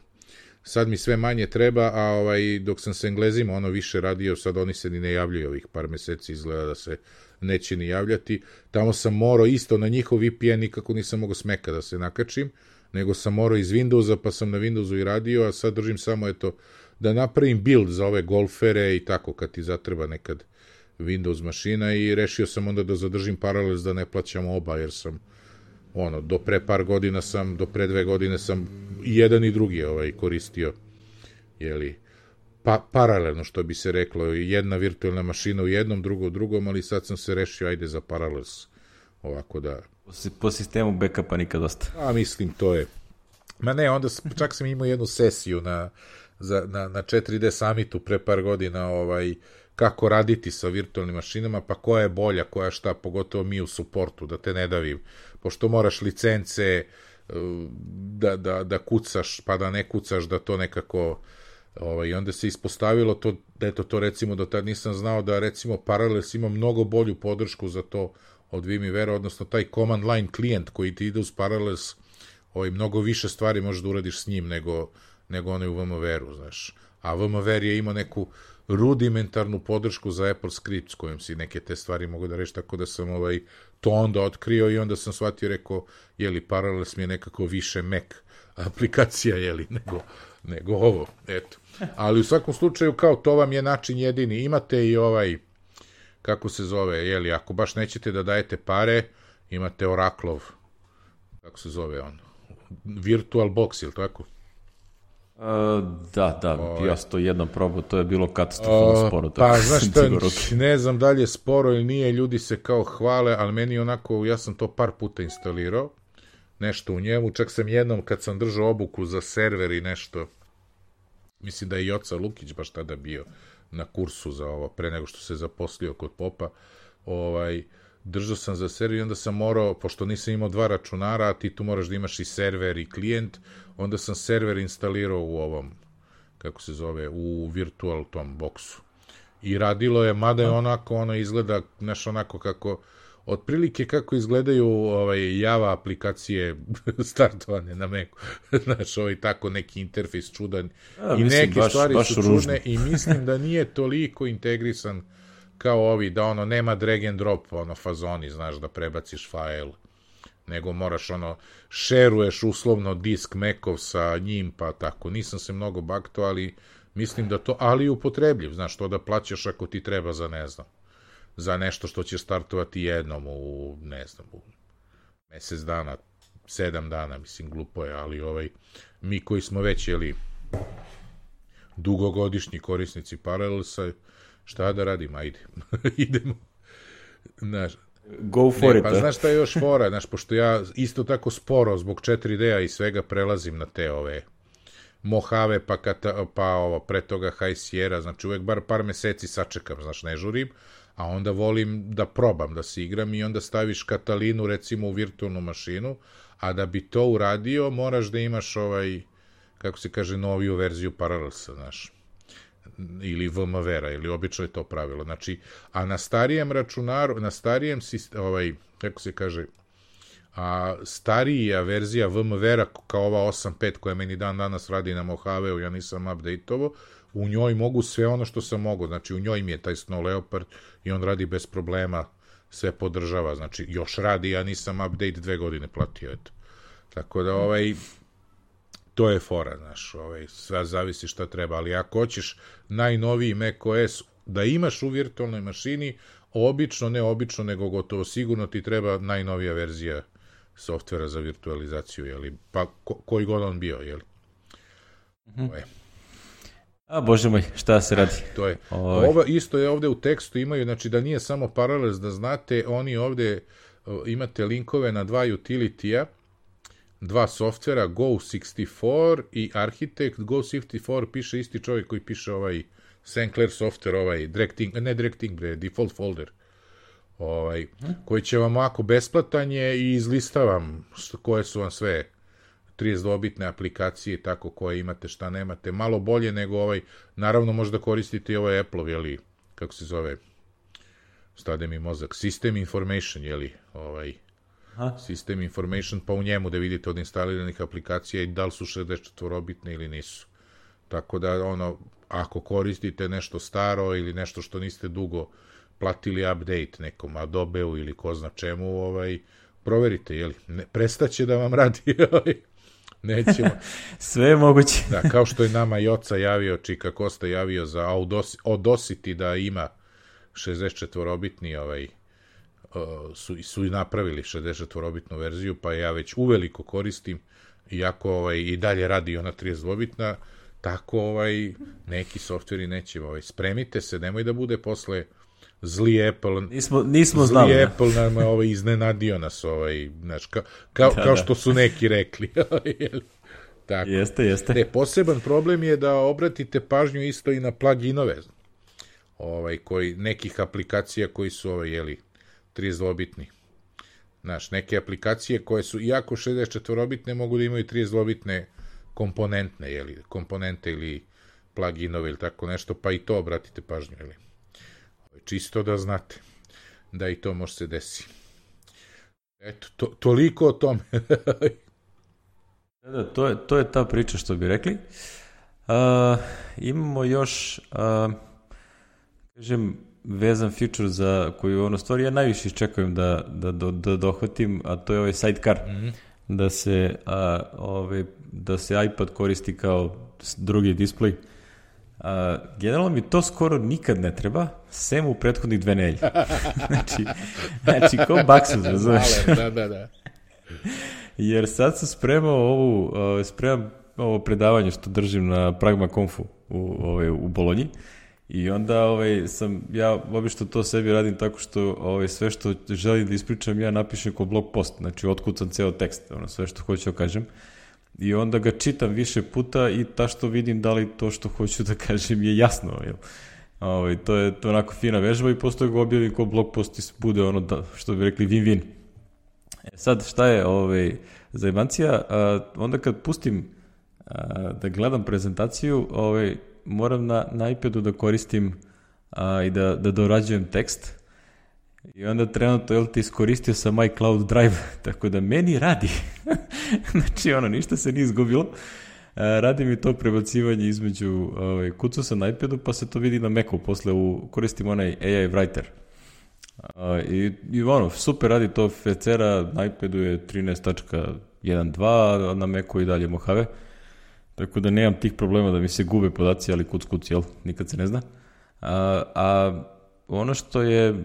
Sad mi sve manje treba, a ovaj, dok sam s Englezima ono više radio, sad oni se ni ne javljaju ovih par meseci, izgleda da se neće ni javljati. Tamo sam morao isto na njihov V P N, nikako nisam mogao s Maca da se nakačim, nego sam morao iz Windowsa, pa sam na Windowsu i radio, a sad držim samo eto da napravim build za ove golfere i tako kad ti zatreba nekad Windows mašina i rešio sam onda da zadržim Parallels da ne plaćam oba, jer sam ono, do pre par godina sam, do pre dve godine sam i jedan i drugi ovaj, koristio, jeli, pa, paralelno, što bi se reklo, jedna virtualna mašina u jednom, drugo u drugom, ali sad sam se rešio, ajde za Parallels, ovako da... Po sistemu backupa nikad dosta. A, mislim, to je... Ma ne, onda čak sam imao jednu sesiju na, za, na, na četiri D Summitu pre par godina, ovaj, kako raditi sa virtualnim mašinama, pa koja je bolja, koja šta, pogotovo mi u suportu, da te ne davim, pošto moraš licence da, da, da kucaš, pa da ne kucaš, da to nekako... Ovaj, i onda se ispostavilo to, eto to recimo do tad nisam znao da recimo Parallels ima mnogo bolju podršku za to od VMware, odnosno taj command line klijent koji ti ide uz Parallels, ovaj, mnogo više stvari možeš da uradiš s njim nego, nego onaj u VMware-u, znaš. A VMware je imao neku rudimentarnu podršku za Apple Script s kojim si neke te stvari mogu da reći, tako da sam ovaj, to onda otkrio i onda sam shvatio, rekao, jeli Parallels mi je nekako više Mac aplikacija, jeli, nego, nego ovo, eto. Ali u svakom slučaju, kao to vam je način jedini. Imate i ovaj, kako se zove, jeli, ako baš nećete da dajete pare, imate Oracleov, kako se zove on, Virtual Box, ili tako? Uh, da, da, Ove. ja sam to jednom probao, to je bilo katastrofalno uh, sporo. Pa, znaš šta, ne znam da li je sporo ili nije, ljudi se kao hvale, ali meni onako, ja sam to par puta instalirao, nešto u njemu, čak sam jednom kad sam držao obuku za server i nešto, mislim da je Joca Lukić baš tada bio na kursu za ovo, pre nego što se zaposlio kod Popa, ovaj, držao sam za server i onda sam morao, pošto nisam imao dva računara, a ti tu moraš da imaš i server i klijent, onda sam server instalirao u ovom, kako se zove, u virtual tom boksu. I radilo je, mada je onako, ono izgleda, znaš, onako kako, otprilike kako izgledaju ovaj, Java aplikacije startovane na Macu. Znaš, ovaj tako neki interfejs čudan. A, i mislim, neke baš, stvari baš su ružno. čudne i mislim da nije toliko integrisan kao ovi, da ono nema drag and drop, ono fazoni, znaš, da prebaciš fajl, nego moraš ono, šeruješ uslovno disk Macov sa njim, pa tako. Nisam se mnogo baktao, ali mislim da to, ali upotrebljiv, znaš, to da plaćaš ako ti treba za, ne znam, za nešto što će startovati jednom u, ne znam, u mesec dana, sedam dana, mislim, glupo je, ali ovaj, mi koji smo već, jeli, dugogodišnji korisnici Parallelsa, šta da radim, ajde, idemo, znaš, go for ne, it, pa da? znaš šta je još fora, znaš, pošto ja isto tako sporo zbog četiri D-a i svega prelazim na te ove Mojave, pa, kata, pa ovo, pre toga High Sierra, znači uvek bar par meseci sačekam, znaš, ne žurim, a onda volim da probam, da se igram i onda staviš Katalinu recimo u virtualnu mašinu, a da bi to uradio moraš da imaš ovaj, kako se kaže, noviju verziju Parallelsa, znaš, ili VMware-a, ili obično je to pravilo, znači, a na starijem računaru, na starijem, ovaj, kako se kaže, a starija verzija VMware-a kao ova osam pet koja meni dan danas radi na Mojave-u, ja nisam update-ovo, u njoj mogu sve ono što sam mogu, znači u njoj mi je taj Snow Leopard i on radi bez problema, sve podržava, znači još radi, ja nisam update dve godine platio, eto. Tako da ovaj, to je fora, znaš, ovaj, sve zavisi šta treba, ali ako hoćeš najnoviji macOS da imaš u virtualnoj mašini, obično, ne obično, nego gotovo sigurno ti treba najnovija verzija softvera za virtualizaciju, jeli, pa ko, koji god on bio, jeli. Mm-hmm. A bože moj, šta se radi? To je. Ovo isto je ovde u tekstu imaju, znači da nije samo Parallels, da znate, oni ovde uh, imate linkove na dva utility-a, dva softvera, Go šezdeset četiri i Architect. Go šezdeset četiri piše isti čovjek koji piše ovaj Saint Clair software, ovaj directing, ne directing, bre, default folder, ovaj, hmm. koji će vam ovako besplatan je i izlistavam koje su vam sve trideset dva bitne aplikacije, tako koje imate, šta nemate, malo bolje nego ovaj, naravno možda koristite i ovaj Apple, jeli, kako se zove, stade mi mozak, System Information, jeli, ovaj, Aha. System Information, pa u njemu da vidite od instaliranih aplikacija i da li su šezdeset četiri bitne ili nisu. Tako da, ono, ako koristite nešto staro ili nešto što niste dugo platili update nekom Adobe-u ili ko zna čemu, ovaj, proverite, jeli, ne, prestaće da vam radi, nećemo. Sve je moguće. Da, kao što je nama Joca javio, Čika Kosta javio za Audacity da ima šezdeset četiri bitni ovaj, su, su i napravili šezdeset četvorobitnu verziju, pa ja već uveliko koristim, iako ovaj, i dalje radi ona trideset dvobitna, tako ovaj, neki softveri neće. Ovaj, spremite se, nemoj da bude posle zli Apple, nismo, nismo zli znali, Apple nam ovaj, iznenadio nas, ovaj, znaš, ka, kao, da, kao da. što su neki rekli. Tako. Jeste, jeste. Ne, poseban problem je da obratite pažnju isto i na pluginove, ovaj, koji, nekih aplikacija koji su ovaj, jeli, trideset dvobitni. Znaš, neke aplikacije koje su, iako šezdeset četvorobitne, mogu da imaju trideset dvobitne komponentne, jeli, komponente ili pluginove ili tako nešto, pa i to obratite pažnju, jeli. Čisto da znate da i to može se desi. Eto, to, toliko o tome. Da, to je, to je ta priča što bi rekli. Uh, imamo još, uh, kažem, vezan feature za koju ono stvari ja najviše iščekujem da, da, da, da dohvatim, a to je ovaj sidecar. Mm-hmm. Da se, uh, ovaj, da se iPad koristi kao drugi display. Uh, generalno mi to skoro nikad ne treba, sem u prethodnih dve nedelje. znači, znači, ko baksus, razumeš? Da, da, da. Jer sad sam spremao ovu, uh, spremam ovo predavanje što držim na Pragma Confu u, ovaj, u Bolonji i onda ovaj, sam, ja obično to sebi radim tako što ovaj, sve što želim da ispričam ja napišem kao blog post, znači otkucam ceo tekst, ono, sve što hoću da kažem i onda ga čitam više puta i ta što vidim da li to što hoću da kažem je jasno, jel? Ovaj, to je to onako fina vežba i posto ga objavim kao blog post i bude ono da, što bi rekli win-win. E sad šta je ovaj, zajebancija, a, onda kad pustim a, da gledam prezentaciju, ovaj, moram na, na iPadu da koristim a, i da, da dorađujem tekst i onda trenutno jel, ti iskoristio sam iCloud Drive, tako da meni radi. Znači ono, ništa se nije izgubilo. A, radi mi to prebacivanje između, ovaj, kucu sam na iPadu pa se to vidi na Macu, posle u, koristim onaj A I Writer. Uh, i, i ono, super radi to, Fecera na iPadu je trinaest tačka jedan dva, a na Macu i dalje Mojave, tako da nemam tih problema da mi se gube podaci, ali kuc kuc, jel, nikad se ne zna. A, a ono što je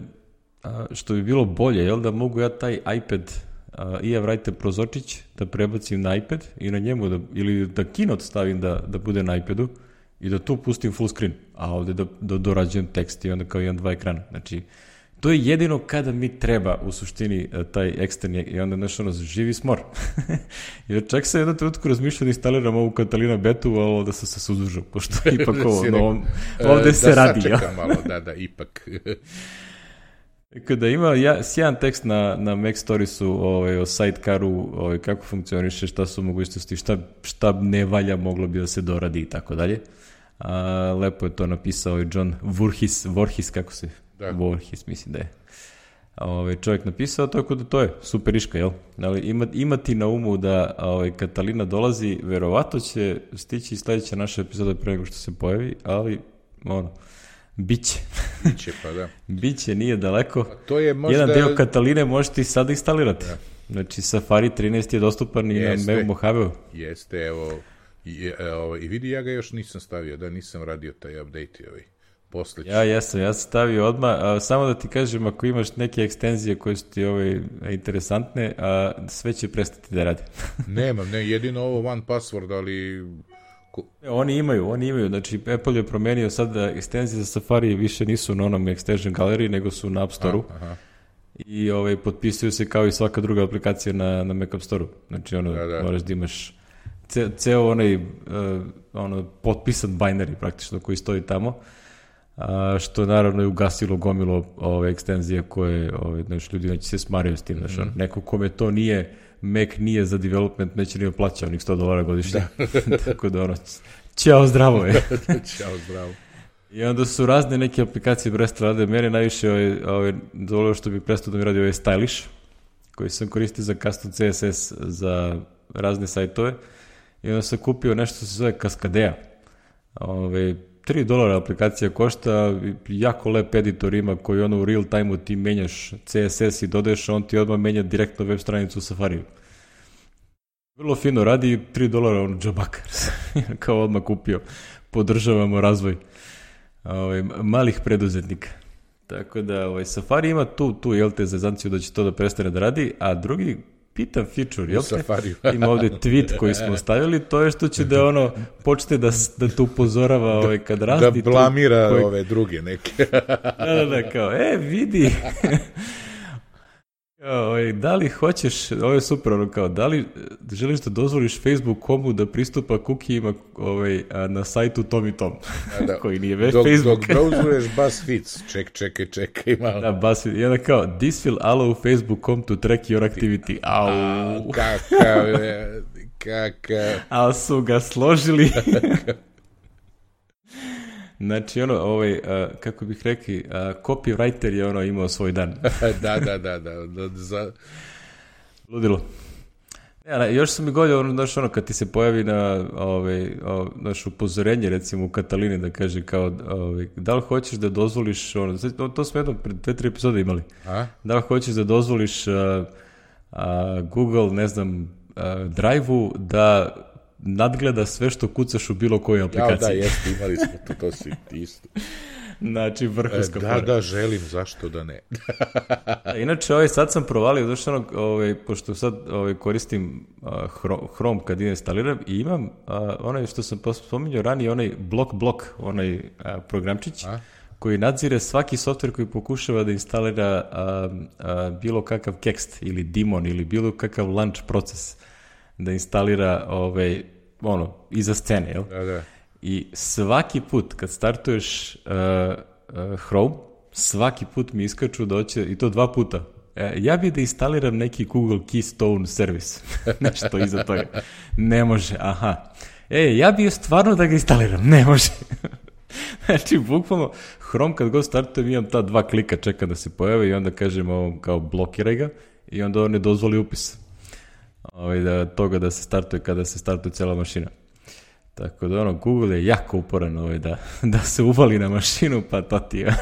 a, što bi bilo bolje, jel, da mogu ja taj iPad a, i ja vrajte prozorčić da prebacim na iPad i na njemu da, ili da Keynote stavim da, da bude na iPadu i da tu pustim full screen, a ovde da, da dorađujem tekst i onda kao jedan, dva ekrana, znači to je jedino kada mi treba u suštini taj eksterni i onda nešto ono živi smor. Jer čak sam jedno trenutku razmišljao da instaliram ovu Catalina betu, a ovo da sam se suzdržao, pošto ipak ovo, no, ovde da se radi. Da sačekam malo, da, da, ipak. Kada ima ja, sjajan tekst na, na Mac Storiesu ovaj, o sidecaru, ovaj, kako funkcioniše, šta su mogućnosti, šta, šta ne valja, moglo bi da se doradi i tako dalje. A, lepo je to napisao i John Voorhees, Voorhees kako se... Da. Voorhees, mislim da je ovaj, čovjek napisao, tako da to je super iška, jel? Ali ima, imati na umu da ovaj, Catalina dolazi, verovatno će stići sledeća naša epizoda pre nego što se pojavi, ali ono, biće. Biće, pa da. Biće, nije daleko. A to je možda... Jedan deo Cataline možete i sada instalirati. Da. Znači, Safari trinaest je dostupan i na Mojaveu. Jeste, evo, i, evo, i vidi, ja ga još nisam stavio, da nisam radio taj update ovaj. Posleći. Ja jesam, ja sam stavio odmah, a, samo da ti kažem, ako imaš neke ekstenzije koje su ti ovaj, interesantne, a, sve će prestati da rade. Nemam, ne, jedino ovo one password, ali... Oni imaju, oni imaju, znači Apple je promenio sad da ekstenzije za Safari više nisu na onom Extension Gallery, nego su na App Store-u. Aha. I ovaj, potpisuju se kao i svaka druga aplikacija na, na Mac App Store-u. Znači ono, da, da. moraš da imaš ce, ceo onaj uh, ono, potpisan binary praktično koji stoji tamo. A, što naravno je ugasilo gomilo ove ekstenzije koje ove, znači, ljudi neće se smaraju s tim, znači, mm-hmm. neko kome to nije, Mac nije za development, neće nije plaća onih sto dolara godišnje, da. Tako da ono, ćao zdravo je. Ćao zdravo. I onda su razne neke aplikacije prestale rade, mene najviše ove, ove, dovoljno što bi prestao da mi radi ovaj Stylish, koji sam koristio za custom C S S za razne sajtove i onda sam kupio nešto što se zove Cascadea, ove, tri dolara aplikacija košta, jako lep editor ima koji ono u real time-u ti menjaš C S S i dodaješ, on ti odmah menja direktno web stranicu u Safariju. Vrlo fino radi, tri dolara ono džabakar, kao odmah kupio. Podržavamo razvoj ovaj, malih preduzetnika. Tako da ovaj, Safari ima tu, tu jel te, zezancija da će to da prestane da radi, a drugi pitan feature, jel te? Ima ovde tweet koji smo stavili, to je što će da ono, počne da, da te upozorava ovaj, kad rasti. Da blamira koji... ove druge neke. Da, da, da, kao, e, vidi. Kao, ovaj, da li hoćeš, ovo je super, ono kao, da li želiš da dozvoliš Facebook.comu da pristupa kukijima ovaj, na sajtu Tom i Tom, da, da. Koji nije već dok, Facebook. Dok browsuješ BuzzFeed, ček, čekaj, čekaj malo. Da, BuzzFeed, i onda kao, this will allow Facebook dot com to track your activity. Au. Kakav je, kakav. Ali su ga složili. Znači, ono, ovaj, uh, kako bih rekli, uh, copywriter je ono imao svoj dan. da, da, da, da. da za... Ludilo. Ja, još sam mi golio, ono, znaš, ono, kad ti se pojavi na, ovaj, naš upozorenje, recimo, u Katalini, da kaže kao, ovaj, da li hoćeš da dozvoliš, ono, to smo jedno pred dve, tri epizode imali, A? Da li hoćeš da dozvoliš uh, uh, Google, ne znam, uh, Drive-u da nadgleda sve što kucaš u bilo kojoj aplikaciji. Ja, da, jeste, imali smo to, to si isto. Znači, vrhunska Da, da, želim, zašto da ne. Inače, ovaj, sad sam provalio, znači, ono, ovaj, pošto sad ovaj, koristim uh, Chrome kad instaliram i imam uh, onaj što sam spominjao ranije, onaj blok blok, onaj uh, programčić, A? koji nadzire svaki softver koji pokušava da instalira uh, uh, bilo kakav kekst ili daemon ili bilo kakav launch proces da instalira ovaj, ono, iza scene, jel? Da, da. I svaki put kad startuješ uh, uh, Chrome, svaki put mi iskaču da hoće, i to dva puta, e, ja bih da instaliram neki Google Keystone servis. Nešto iza toga. Ne može, aha. E, ja bih stvarno da ga instaliram. Ne može. Znači, bukvalno, Chrome kad god startujem imam ta dva klika, čekam da se pojave i onda kažem ovom kao blokiraj ga i onda on ne dozvoli upis. Ovaj, da, toga da se startuje kada se startuje cijela mašina. Tako da ono, Google je jako uporan ovaj, da, da se uvali na mašinu, pa to ti je.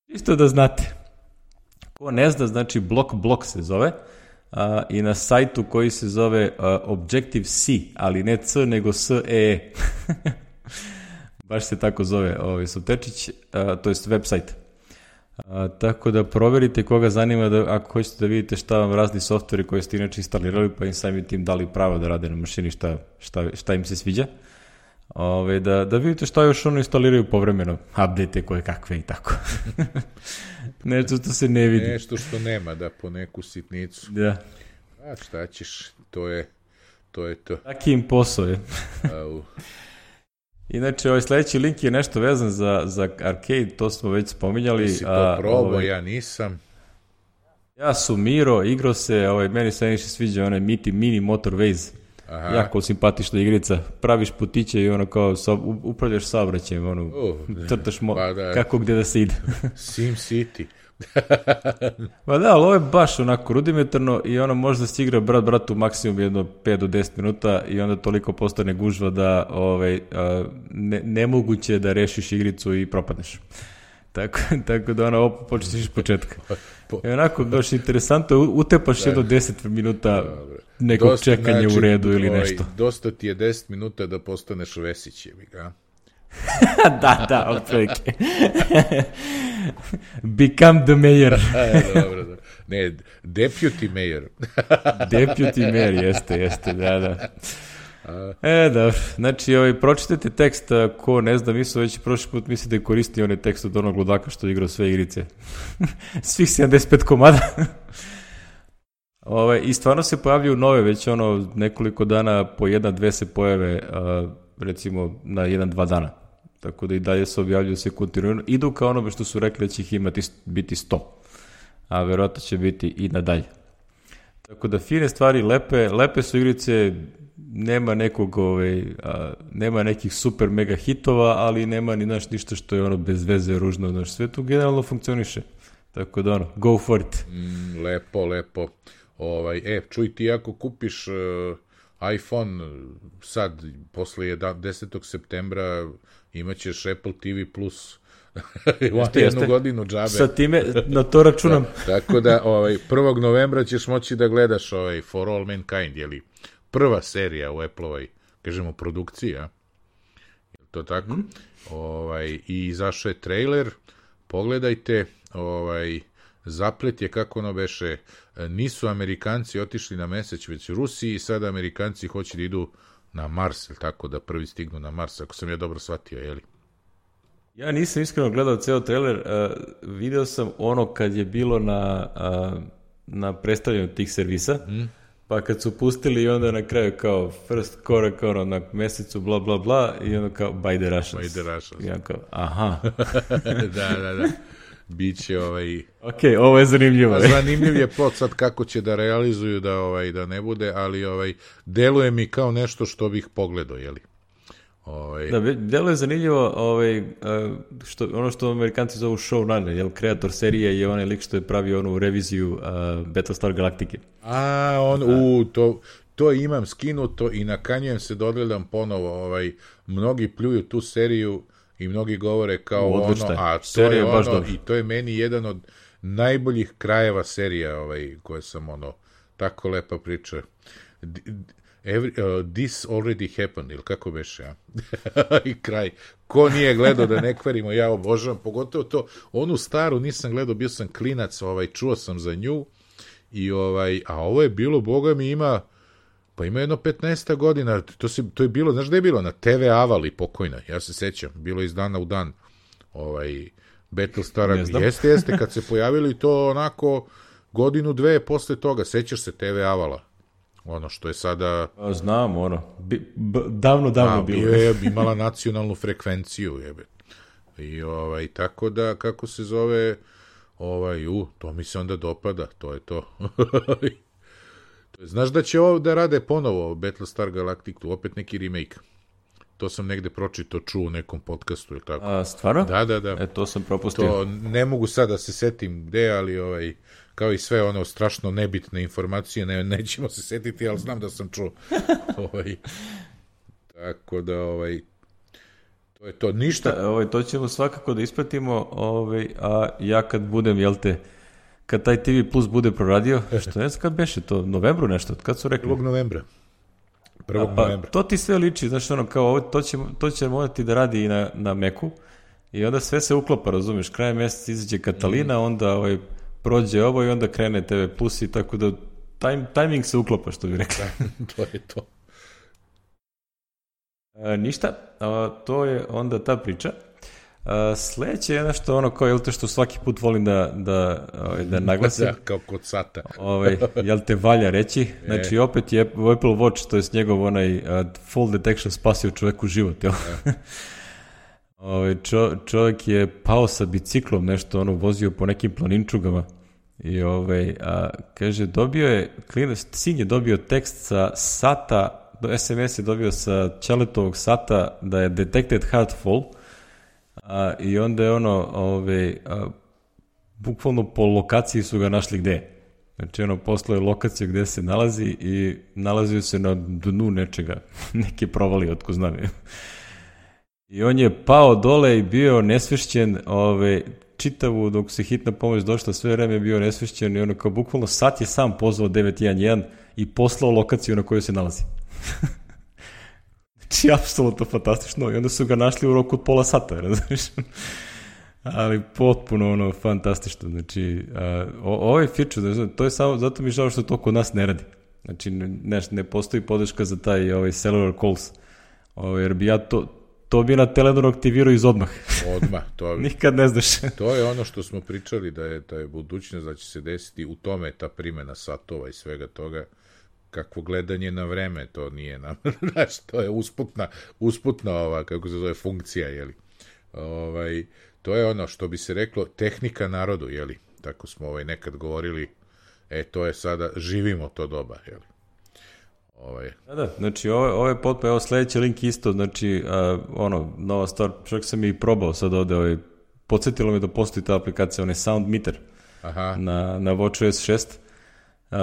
Isto da znate. Ko ne zna, znači blok blok se zove a, i na sajtu koji se zove a, Objective-C, ali ne C, nego S E E. Baš se tako zove ovaj Soptečić, a, to je website. A, tako da proverite koga zanima da, ako hoćete da vidite šta vam razni softveri koje ste inače instalirali, pa im samim tim dali pravo da rade na mašini šta, šta, šta im se sviđa. Ove, da, da vidite šta još ono instaliraju povremeno, update koje kakve i tako. Nešto što se ne vidi. Nešto što nema, da, po neku sitnicu. Da. A šta ćeš, to je to. Je to. Taki im posao je. Au. Inače, ovaj sledeći link je nešto vezan za, za arcade, to smo već spominjali. Ti si to probao, ovaj, ja nisam. Ja su Miro, igrao se, ovaj, meni se najviše sviđa onaj Miti Mini Motorways. Aha. Jako simpatična igrica. Praviš putiće i ono kao sa, upravljaš saobraćajem, ono, uh, crtaš mo- pa da, kako gde da se ide. Sim City. Pa da, ali ovo je baš onako rudimentarno i ono možda se igra brat bratu maksimum jedno pet do deset minuta i onda toliko postane gužva da ovaj, ne, nemoguće da rešiš igricu i propadneš. Tako, tako da ono počneš iz početka. I onako baš interesantno, utepaš da. jedno deset minuta nekog dosta, čekanja znači, u redu ili ovaj, nešto. Dosta ti je deset minuta da postaneš Vesić, jebi ga. da, da, otprilike. Become the mayor. Dobro, dobro. Ne, deputy mayor. Deputy mayor, jeste, jeste, da, da. E, da, znači, ovaj, pročitajte tekst, ko ne zna, mi su već prošli put mislite da koristi onaj tekst od onog ludaka što igrao sve igrice. Svih sedamdeset pet komada. Ove, I stvarno se pojavljaju nove, već ono nekoliko dana po jedna, dve se pojave, a, recimo na jedan, dva dana. Tako da i dalje se objavljuju se kontinuirano. Idu kao onome što su rekli da će ih imati biti sto, a verovatno će biti i nadalje. Tako da fine stvari, lepe, lepe su igrice, nema nekog, ovaj, a, nema nekih super mega hitova, ali nema ni naš ništa što je ono bez veze, ružno, znaš, sve tu generalno funkcioniše. Tako da ono, go for it. Mm, lepo, lepo. Ovaj, e, čuj ti ako kupiš uh, iPhone sad, posle desetog septembra, imaćeš Apple T V plus jeste, jednu jeste. godinu džabe. Sa time, na to računam. Da, tako da, ovaj, prvog novembra ćeš moći da gledaš ovaj For All Mankind, jeli prva serija u Apple-ovoj, kažemo, produkciji, a? Je to tako? Mm. Ovaj, i izašao je trailer, pogledajte, ovaj, zaplet je, kako ono beše, nisu Amerikanci otišli na mesec, već Rusi, i sada Amerikanci hoće da idu na Mars, ili tako, da prvi stignu na Mars, ako sam ja dobro shvatio, jeli? Ja nisam iskreno gledao ceo trailer, uh, video sam ono kad je bilo na, uh, na predstavljanju tih servisa, mm. pa kad su pustili i onda na kraju kao first korak ono, na mesecu bla bla bla i onda kao by the Russians. By the Russians. I onda kao, aha. da, da, da. Biće ovaj... Ok, ovo je zanimljivo. Zanimljiv je plot sad kako će da realizuju da, ovaj, da ne bude, ali ovaj, deluje mi kao nešto što bih pogledao, jeli? Ovaj... Da, deluje zanimljivo ovaj, što, ono što Amerikanci zovu showrunner, jel, kreator serije je onaj lik što je pravio onu reviziju uh, Battlestar Galactica. A, on, u, to, to imam skinuto i nakanjujem se da odgledam ponovo. Ovaj, mnogi pljuju tu seriju i mnogi govore kao Odlične. ono, a to serija je ono, dobro. I to je meni jedan od najboljih krajeva serija, ovaj, koje sam ono, tako lepa priča. Every, uh, this already happened, ili kako beše, ja? I kraj. Ko nije gledao, da ne kvarimo, ja obožavam, pogotovo to, onu staru nisam gledao, bio sam klinac, ovaj, čuo sam za nju, i ovaj, a ovo je bilo, boga mi ima, pa ima jedno petnaest godina, to, se, to je bilo, znaš da je bilo, na te ve Avali pokojna, ja se sećam, bilo iz dana u dan, ovaj, Battlestara, jeste, jeste, kad se pojavili to onako, godinu, dve posle toga, sećaš se te ve Avala? Ono što je sada... A, znam, ono. Bi, b, davno, davno a, bilo. je imala nacionalnu frekvenciju, jebe. I ovaj, tako da, kako se zove, ovaj, u, to mi se onda dopada, to je to. Znaš da će ovo da rade ponovo Battlestar Galactica, opet neki remake. To sam negde pročito, čuo u nekom podcastu, ili tako. A, stvarno? Da, da, da. E, to sam propustio. To ne mogu sad da se setim gde, ali ovaj... kao i sve ono strašno nebitne informacije, ne, nećemo se setiti, ali znam da sam čuo. ovaj, tako da, ovaj, to je to, ništa. Da, ovaj, to ćemo svakako da ispratimo, ovaj, a ja kad budem, jel te, kad taj te ve Plus bude proradio, što ne znam kad beše to, novembru nešto, kad su rekli? prvog novembra. prvog pa, novembra. To ti sve liči, znaš, ono, kao, ovo, to će, to će morati da radi i na, na Macu, i onda sve se uklopa, razumiješ, kraj mjeseca izađe Katalina, mm. onda, ovaj, prođe ovo i onda krene te ve Plus i tako da time, timing se uklopa, što bi rekli. To je to. E, ništa, a, to je onda ta priča. A, sledeće je nešto ono kao, jel te, što svaki put volim da, da, da naglasim. Da, kao kod sata. Ovaj, jel te valja reći. Znači, opet je Apple Watch, to je njegov onaj uh, fall detection spasio čoveku život, jel? Ovaj, čo, čovjek je pao sa biciklom, nešto ono, vozio po nekim planinčugama i ovaj, a, kaže, dobio je, klinac, sin je dobio tekst sa sata, do es em es je dobio sa Ćaletovog sata da je detected hard fall, a, i onda je ono, ovaj, a, bukvalno po lokaciji su ga našli gde. Znači, ono, poslao je lokaciju gde se nalazi i nalazio se na dnu nečega, neke provali, otko znam je. I on je pao dole i bio nesvešćen, ove, čitavu dok se hitna pomoć došla, sve vreme je bio nesvešćen i ono kao bukvalno sat je sam pozvao devet jedan jedan i poslao lokaciju na kojoj se nalazi. Znači, apsolutno fantastično. I onda su ga našli u roku od pola sata, razumiješ? Ali potpuno ono fantastično. Znači, a, o, ovaj feature, to je samo, zato mi žao što to kod nas ne radi. Znači, ne, ne postoji podrška za taj ovaj cellular calls. Ovaj, jer bi ja to... To bi na Teledoru aktivirao iz odmah. Odmah. To, nikad ne znaš. To je ono što smo pričali, da je, da je budućnost, da će se desiti, u tome ta primjena satova i svega toga, kakvo gledanje na vreme, to nije nam, znaš, to je usputna, usputna ova, kako se zove, funkcija, jeli. Ovaj, to je ono što bi se reklo, tehnika narodu, jeli. Tako smo ovaj, nekad govorili, e, to je sada, živimo to doba, jeli. Ovaj. Da, da, znači ovo, ovo je potpuno, evo sledeći link isto, znači uh, ono, nova stvar, čak sam i probao sad ovde, ovaj, podsjetilo me da postoji ta aplikacija, onaj Sound Meter. Aha. na, na WatchOS šest. Uh,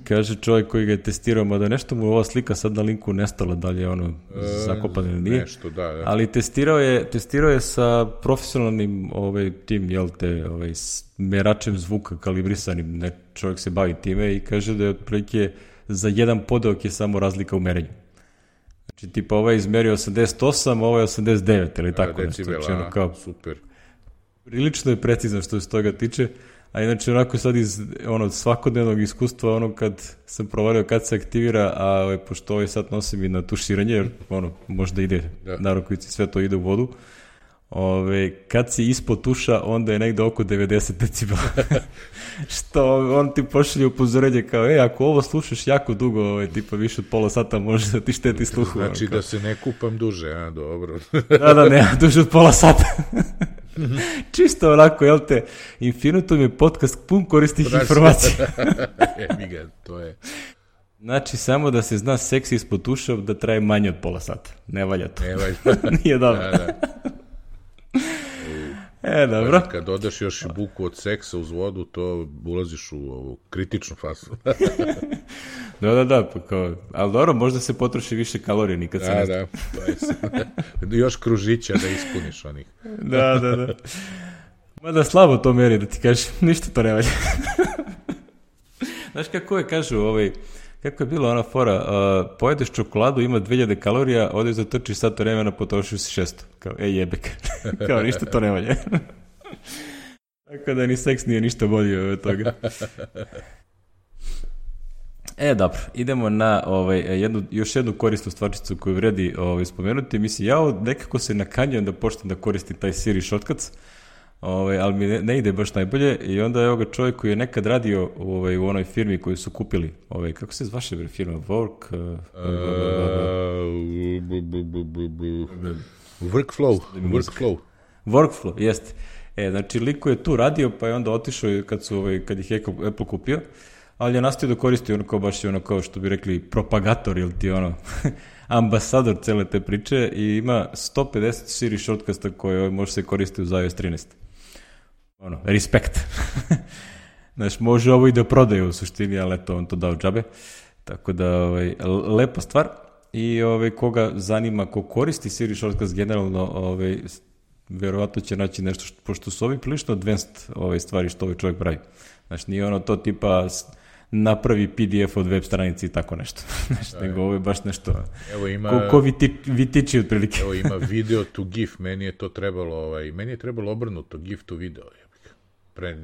kaže čovjek koji ga je testirao, mada nešto mu je ova slika sad na linku nestala, da li je ono zakopano ili nije. Nešto, da, da. Ali testirao je, testirao je sa profesionalnim ovaj, tim, jel te, ovaj, meračem zvuka kalibrisanim, ne, čovjek se bavi time i kaže da je otprilike za jedan podeok je samo razlika u merenju. Znači, tipa, ovaj je izmerio osamdeset osam, ovo je osamdeset devet, ili tako decibela, nešto. Znači, ono kao, super. Prilično je precizan što se toga tiče, a inače onako sad iz ono, svakodnevnog iskustva, ono kad sam provario kad se aktivira, a ovaj, pošto ovaj sad nosim i na tuširanje, jer ono, možda ide da. Na rukovici, sve to ide u vodu, ove, kad si ispod tuša, onda je negde oko devedeset decibela. Što on ti pošalje upozorenje kao, e, ako ovo slušaš jako dugo, ovaj, tipa više od pola sata može da ti šteti sluhu. Znači ono, da se ne kupam duže, a, dobro. Da, da, ne, duže od pola sata. Čisto onako, jel te, Infinitum je podcast pun koristih znači, informacija. Evi ga, to je. Znači, samo da se zna seks ispod tuša da traje manje od pola sata. Ne valja to. Ne valja. Nije dobro. Da, da. E, dobro. Kad dodaš još i buku od seksa uz vodu, to ulaziš u ovu kritičnu fazu. Da, da, da, pa kao, ali dobro, možda se potroši više kalorija nikad se da, ne zna. Da, da, još kružića da ispuniš onih. Da, da, da. Mada slabo to meri, da ti kažeš, ništa to ne valja. Znaš kako je, kažu, ovaj, kako je bila ona fora, uh, pojedeš čokoladu, ima dve hiljade kalorija, odeš da trčiš sat vremena, potrošiš si šesto. Kao, ej jebek. Kao, ništa to ne valja. Tako da ni seks nije ništa bolje od toga. E, dobro, idemo na ovaj, jednu, još jednu korisnu stvarčicu koju vredi ovaj, spomenuti. Mislim, ja nekako se nakanjam da počnem da koristim taj Siri shortcuts, ovaj, ali mi ne, ne ide baš najbolje i onda je ovoga čovjek koji je nekad radio ovaj, u onoj firmi koju su kupili, ovaj, kako se zvaše bre firma? Work? Uh, Workflow. Workflow. Workflow, jeste. E, znači, liko je tu radio, pa je onda otišao kad, su, ovaj, kad ih je Apple kupio, ali je nastavio da koristi ono kao baš ono kao što bi rekli propagator ili ti ono ambasador cele te priče i ima sto pedeset Siri shortcuta koje može se koristiti uz iOS trinaest. Ono, respekt. Znači, može ovo i da prodaje u suštini, ali eto, on to dao džabe. Tako da, ovaj, lepa stvar. I ovaj, koga zanima, ko koristi Siri shortcuts generalno, ovaj, verovatno će naći nešto, što, pošto su ovi prilično advanced ovaj, stvari što ovaj čovjek pravi. Znači, nije ono to tipa napravi P D F od web stranici i tako nešto. Znači, nego ovo je baš nešto evo ima, ko, ko viti, vitiči otprilike. Evo ima video to GIF, meni je to trebalo, ovaj, meni je trebalo obrnuto, GIF to video. Pre...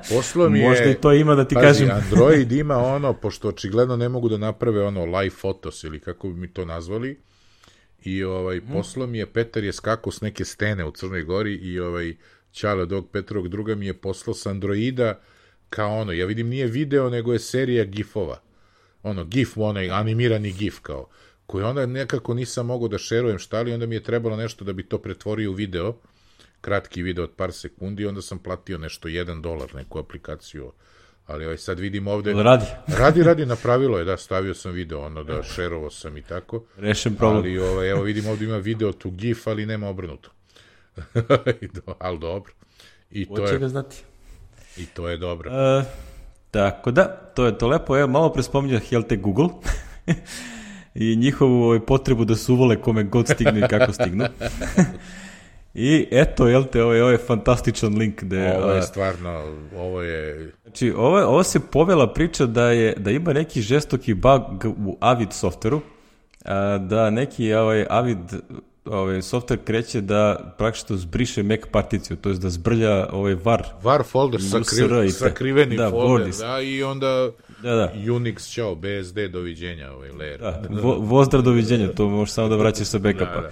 Poslo mi je... Možda i to ima da ti pazi, kažem. Android ima ono, pošto očigledno ne mogu da naprave ono live photos ili kako bi mi to nazvali, i ovaj, hmm. poslo mi je, Petar je skakao s neke stene u Crnoj Gori i ovaj Ćale od ovog Petrovog druga mi je poslao s Androida kao ono, ja vidim nije video, nego je serija gifova. Ono, gif, onaj animirani gif kao, koji onda nekako nisam mogao da šerujem šta li, onda mi je trebalo nešto da bi to pretvorio u video, kratki video od par sekundi, onda sam platio nešto jedan dolar, neku aplikaciju, ali ovaj, sad vidim ovde... Radi. Radi, radi, napravilo je, da, stavio sam video, ono, da, šerovao sam i tako. Rešen problem. Ali, ovaj, evo vidim ovde ima video to gif, ali nema obrnuto. Ali dobro. I to Hoće je... ga znati. I to je dobro. Uh, tako da, to je to lepo. Evo, malo pre spominjah, jel te, Google i njihovu ovaj, potrebu da se uvole kome god stignu i kako stignu. I eto, jel te, ovo je, ovo je fantastičan link. Gde, ovo je stvarno, ovo je... Znači, ovo, ovo se povela priča da, je, da ima neki žestoki bug u Avid softveru, da neki ovaj, Avid ovaj, softver kreće da praktično zbriše Mac particiju, to je da zbrlja ovaj var. Var folder, sakri, sakriveni da, folder, Bordis. Da, i onda da, da. Unix, čao, B S D, doviđenja, ovaj layer. Da, vo, vozdra doviđenja, to može samo da vraća sa backupa. Da, da.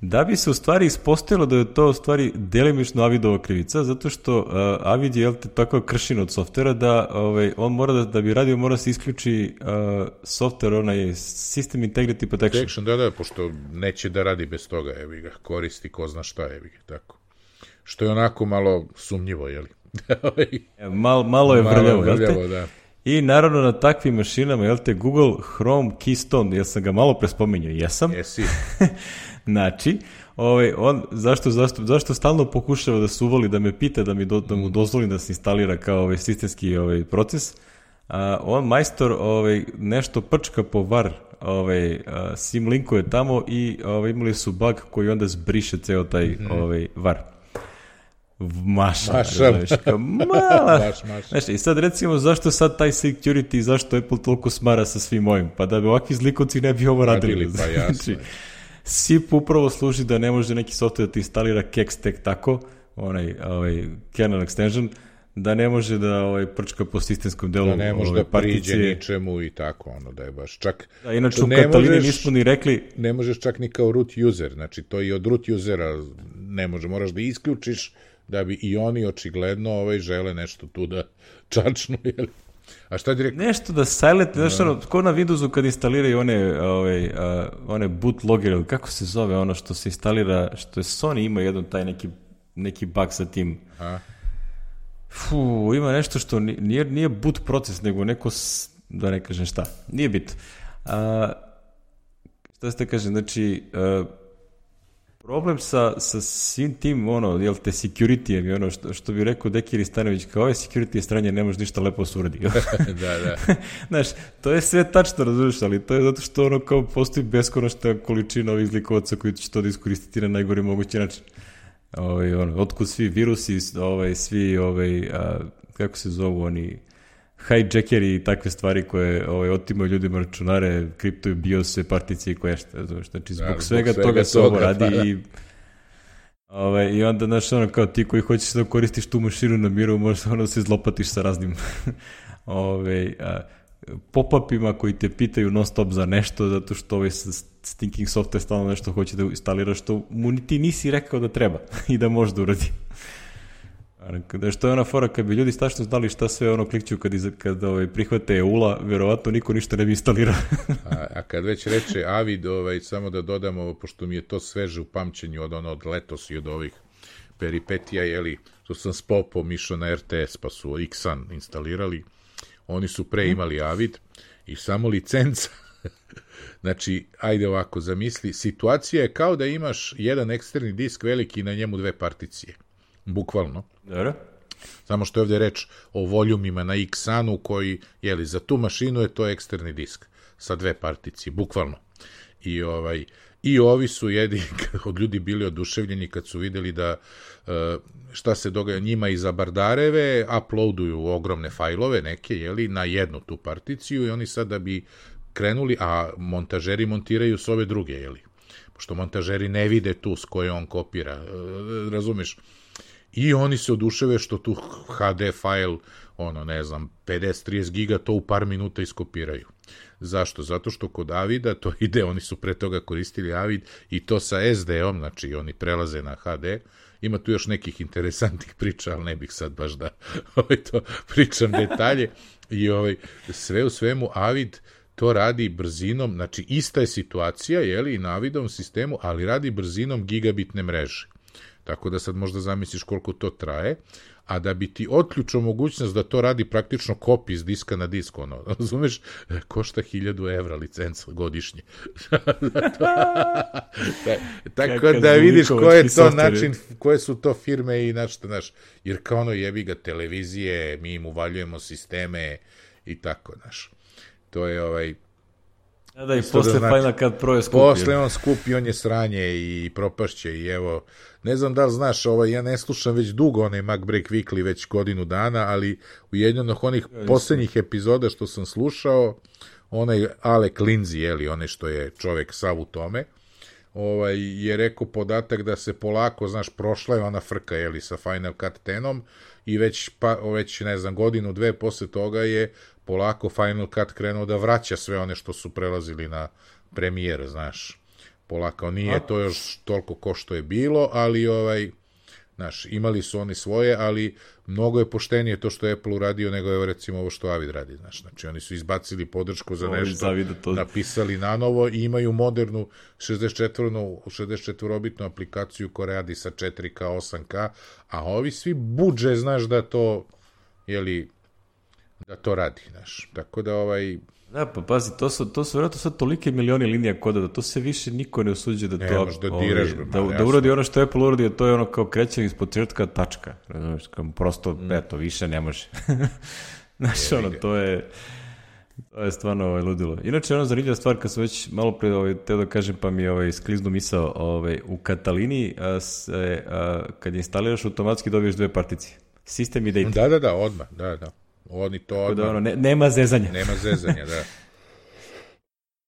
Da bi se u stvari ispostavilo da je to u stvari delimično Avidova krivica, zato što uh, Avid je tako kršin od softvera da ovaj, on mora da, da bi radio, mora se isključi uh, softver, onaj System Integrity Protection. Protection. Da, da, pošto neće da radi bez toga, evi ga, koristi ko zna šta, evi ga, tako. Što je onako malo sumnjivo, jeli? Mal, malo je vrljavo, malo vrljavo, da. I naravno na takvim mašinama, jel te, Google Chrome Keystone, jel sam ga malo prespominjao? Jesam. Jesi. Znači, ovaj, on, zašto, zašto, zašto stalno pokušava da se uvoli, da me pita, da, mi do, da mu dozvolim da se instalira kao ovaj, sistemski ovaj, proces, a, on majstor ovaj, nešto prčka po var, ovaj, a, sim linkuje tamo i ovaj, imali su bug koji onda zbriše ceo taj mm-hmm. ovaj, var. Maša, maša. Znaš, kao mala. Maš, maš. Znaš, i sad recimo zašto sad taj security i zašto Apple toliko smara sa svim ovim? Pa da bi ovakvi zlikovci ne bi ovo radili. Radili, pa jasno. Znači, S I P upravo služi da ne može neki software da ti instalira keks tek tako, onaj, ovaj, kernel extension, da ne može da ovaj, prčka po sistemskom delu da ne može ovaj, da priđe particije. ničemu i tako, ono da je baš čak... Da, inače u Katalini možeš, nismo ni rekli... Ne možeš čak ni kao root user, znači to i od root usera ne može, moraš da isključiš da bi i oni očigledno ovaj, žele nešto tu da čačnu, jel? A šta direkt... Nešto da silent, znaš ono, ko na Windowsu kad instaliraju one, ovaj, uh, one bootloger, kako se zove ono što se instalira, što je Sony ima jedan taj neki, neki bug sa tim... A? Fu, ima nešto što nije, nije boot proces, nego neko, da ne kažem šta, nije bit. A, šta ste kažem, znači, a, problem sa, sa svim tim, ono, jel te, security-em i ono, što, što bi rekao Dekir Stanović, kao ove security stranje ne može ništa lepo suradi. da, da. Znaš, to je sve tačno, razumiješ, ali to je zato što ono kao postoji beskonačna količina ovih zlikovaca koji će to da iskoristiti na najgori mogući način. Ovaj, ono, otkud svi virusi, ovaj, svi, ovaj, a, kako se zovu oni, hijackeri i takve stvari koje ovaj, otimaju ljudima računare, kriptuju biose, particije i koje šta, znači, zbog, da, zbog svega, svega toga se ovo radi pa, da. i ovaj, i onda, znaš, ono, kao ti koji hoćeš da koristiš tu mašinu na miru, možeš ono se zlopatiš sa raznim ovaj, a, pop-upima koji te pitaju non stop za nešto, zato što ovaj stinking software stalno nešto hoće da instalira što mu ti nisi rekao da treba i da može da uradi. Da što je ona fora, kad bi ljudi stačno znali šta sve ono klikću kad, iz, kad ovaj, prihvate E U L A, verovatno niko ništa ne bi instalirao. a, a kad već reče Avid, ovaj, samo da dodamo, pošto mi je to sveže u pamćenju od, ono, od letos i od ovih peripetija, jeli, što sam s popom išao na R T S, pa su X-an instalirali, oni su pre imali Avid i samo licenca. Znači, ajde ovako, zamisli, situacija je kao da imaš jedan eksterni disk veliki i na njemu dve particije. Bukvalno. Dobro. Samo što je ovdje reč o voljumima na X-anu koji, jeli, za tu mašinu je to eksterni disk sa dve particije, bukvalno. I ovaj... I ovi su jedini od ljudi bili oduševljeni kad su videli da šta se događa njima iza Bardareve, uploaduju ogromne fajlove neke, jeli, na jednu tu particiju i oni sad da bi krenuli, a montažeri montiraju s ove druge, jeli, pošto montažeri ne vide tu s koje on kopira, razumeš? I oni se oduševe što tu H D fajl, ono, ne znam, pedeset trideset giga to u par minuta iskopiraju. Zašto? Zato što kod Avida to ide, oni su pre toga koristili Avid i to sa S D-om, znači oni prelaze na H D. Ima tu još nekih interesantnih priča, ali ne bih sad baš da ovaj, to pričam detalje. I ovaj, sve u svemu Avid to radi brzinom, znači ista je situacija, jeli, i na Avidovom sistemu, ali radi brzinom gigabitne mreže. Tako da sad možda zamisliš koliko to traje, a da bi ti otključio mogućnost da to radi praktično kopi iz diska na disk, ono, razumeš, košta hiljadu evra licenca godišnje. Tako da vidiš ko je to način, koje su to firme i znači, znaš, jer kao ono jebi ga televizije, mi im uvaljujemo sisteme i tako, znaš. To je ovaj... A da, i posle da znači, Final Cut Pro je skupi. Posle on skupi, on je sranje i propašće i evo, ne znam da li znaš, ovaj, ja ne slušam već dugo onaj MacBreak Weekly, već godinu dana, ali u jednom od onih ja, poslednjih epizoda što sam slušao, onaj Alec Lindsay, jeli, onaj što je čovek sav u tome, ovaj, je rekao podatak da se polako, znaš, prošla je ona frka, jeli, sa Final Cut desetom i već, pa, već, ne znam, godinu, dve posle toga je polako Final Cut krenuo da vraća sve one što su prelazili na premijer, znaš. Polako nije A? to još toliko ko što je bilo, ali ovaj, znaš, imali su oni svoje, ali mnogo je poštenije to što je Apple uradio nego je recimo ovo što Avid radi, znaš. Znači oni su izbacili podršku za nešto, to... napisali na novo i imaju modernu šezdeset četvorobitnu aplikaciju koja radi sa četiri K, osam K, a ovi svi budže, znaš, da to, jeli, da to radi, znaš. Tako da ovaj... Da, pa pazi, to su, to su vjerojatno sad tolike milioni linija koda da to se više niko ne usuđe da to... Ne, da diraš, ovaj, da, da uradi ono što je Apple uradio, to je ono kao krećanje iz početka tačka. Znaš, kao prosto, mm. eto, više ne može. Znaš, ono, to je... To je stvarno ovaj, ludilo. Inače, ono zanimljiva stvar, kad sam već malo pre ovaj, teo da kažem, pa mi je ovaj, skliznu misao, ovaj, u Katalini, a, se, a, kad instaliraš, automatski dobiješ dve particije. Sistem i data. Da, da, da, odmah, da, da. Oni to odmah... Da, ono, ne, nema zezanja. Nema zezanja, da.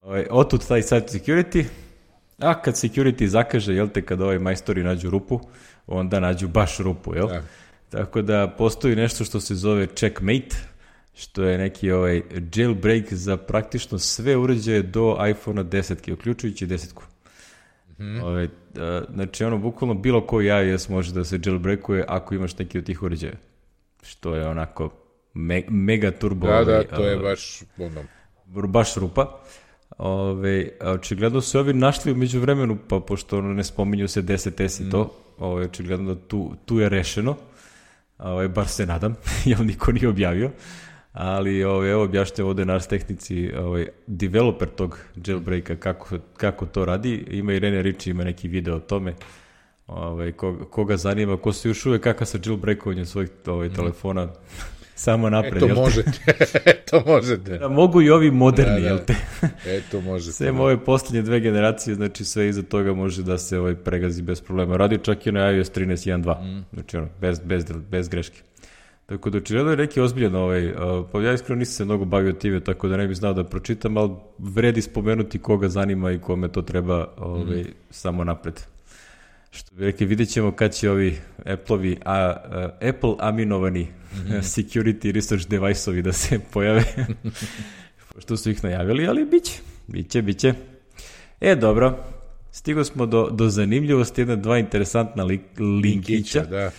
Ovaj, otud taj site security, a kad security zakaže, jel te, kad ovaj majstori nađu rupu, onda nađu baš rupu, jel? Da. Tako da postoji nešto što se zove checkmate, što je neki ovaj jailbreak za praktično sve uređaje do iPhone deset, uključujući desetku. Mm. Ove, a, znači ono, bukvalno bilo koji iOS može da se jailbreakuje ako imaš neki od tih uređaja. Što je onako me, mega turbo. Da, ovaj, da, to je a, baš ono... baš rupa. Ove, očigledno su ovi našli umeđu vremenu, pa pošto ono ne spominju se deset es i to, mm. ove, očigledno da tu, tu je rešeno. Ove, bar se nadam, jer niko nije objavio. Ali ove, evo objašnjava ovde naš tehnici, ovaj, developer tog jailbreaka, kako, kako to radi. Ima i Rene Ritchie, ima neki video o tome. Ovaj, koga, koga zanima, ko se još uvek kaka sa jailbreakovanjem svojih ovaj, mm. telefona, samo napred. Eto možete, eto možete. Da, mogu i ovi moderni, da, da. jel te? Eto možete. Sve ove poslednje dve generacije, znači sve iza toga može da se ovaj, pregazi bez problema. Radi čak i na iOS trinaest jedan dva, mm. znači ono, bez, bez, bez greške. Tako da očigledno je neki ozbiljan ovaj, uh, pa ja iskreno nisam se mnogo bavio time, tako da ne bih znao da pročitam, ali vredi spomenuti koga zanima i kome to treba ovaj, mm. samo napred. Što bi rekli, vidjet ćemo kad će ovi Apple-ovi, a, uh, Apple aminovani mm. security research device-ovi da se pojave, što su ih najavili, ali bit će, bit će, bit će. E, dobro, stigo smo do, do zanimljivosti, jedna, dva interesantna li, linkića. Da.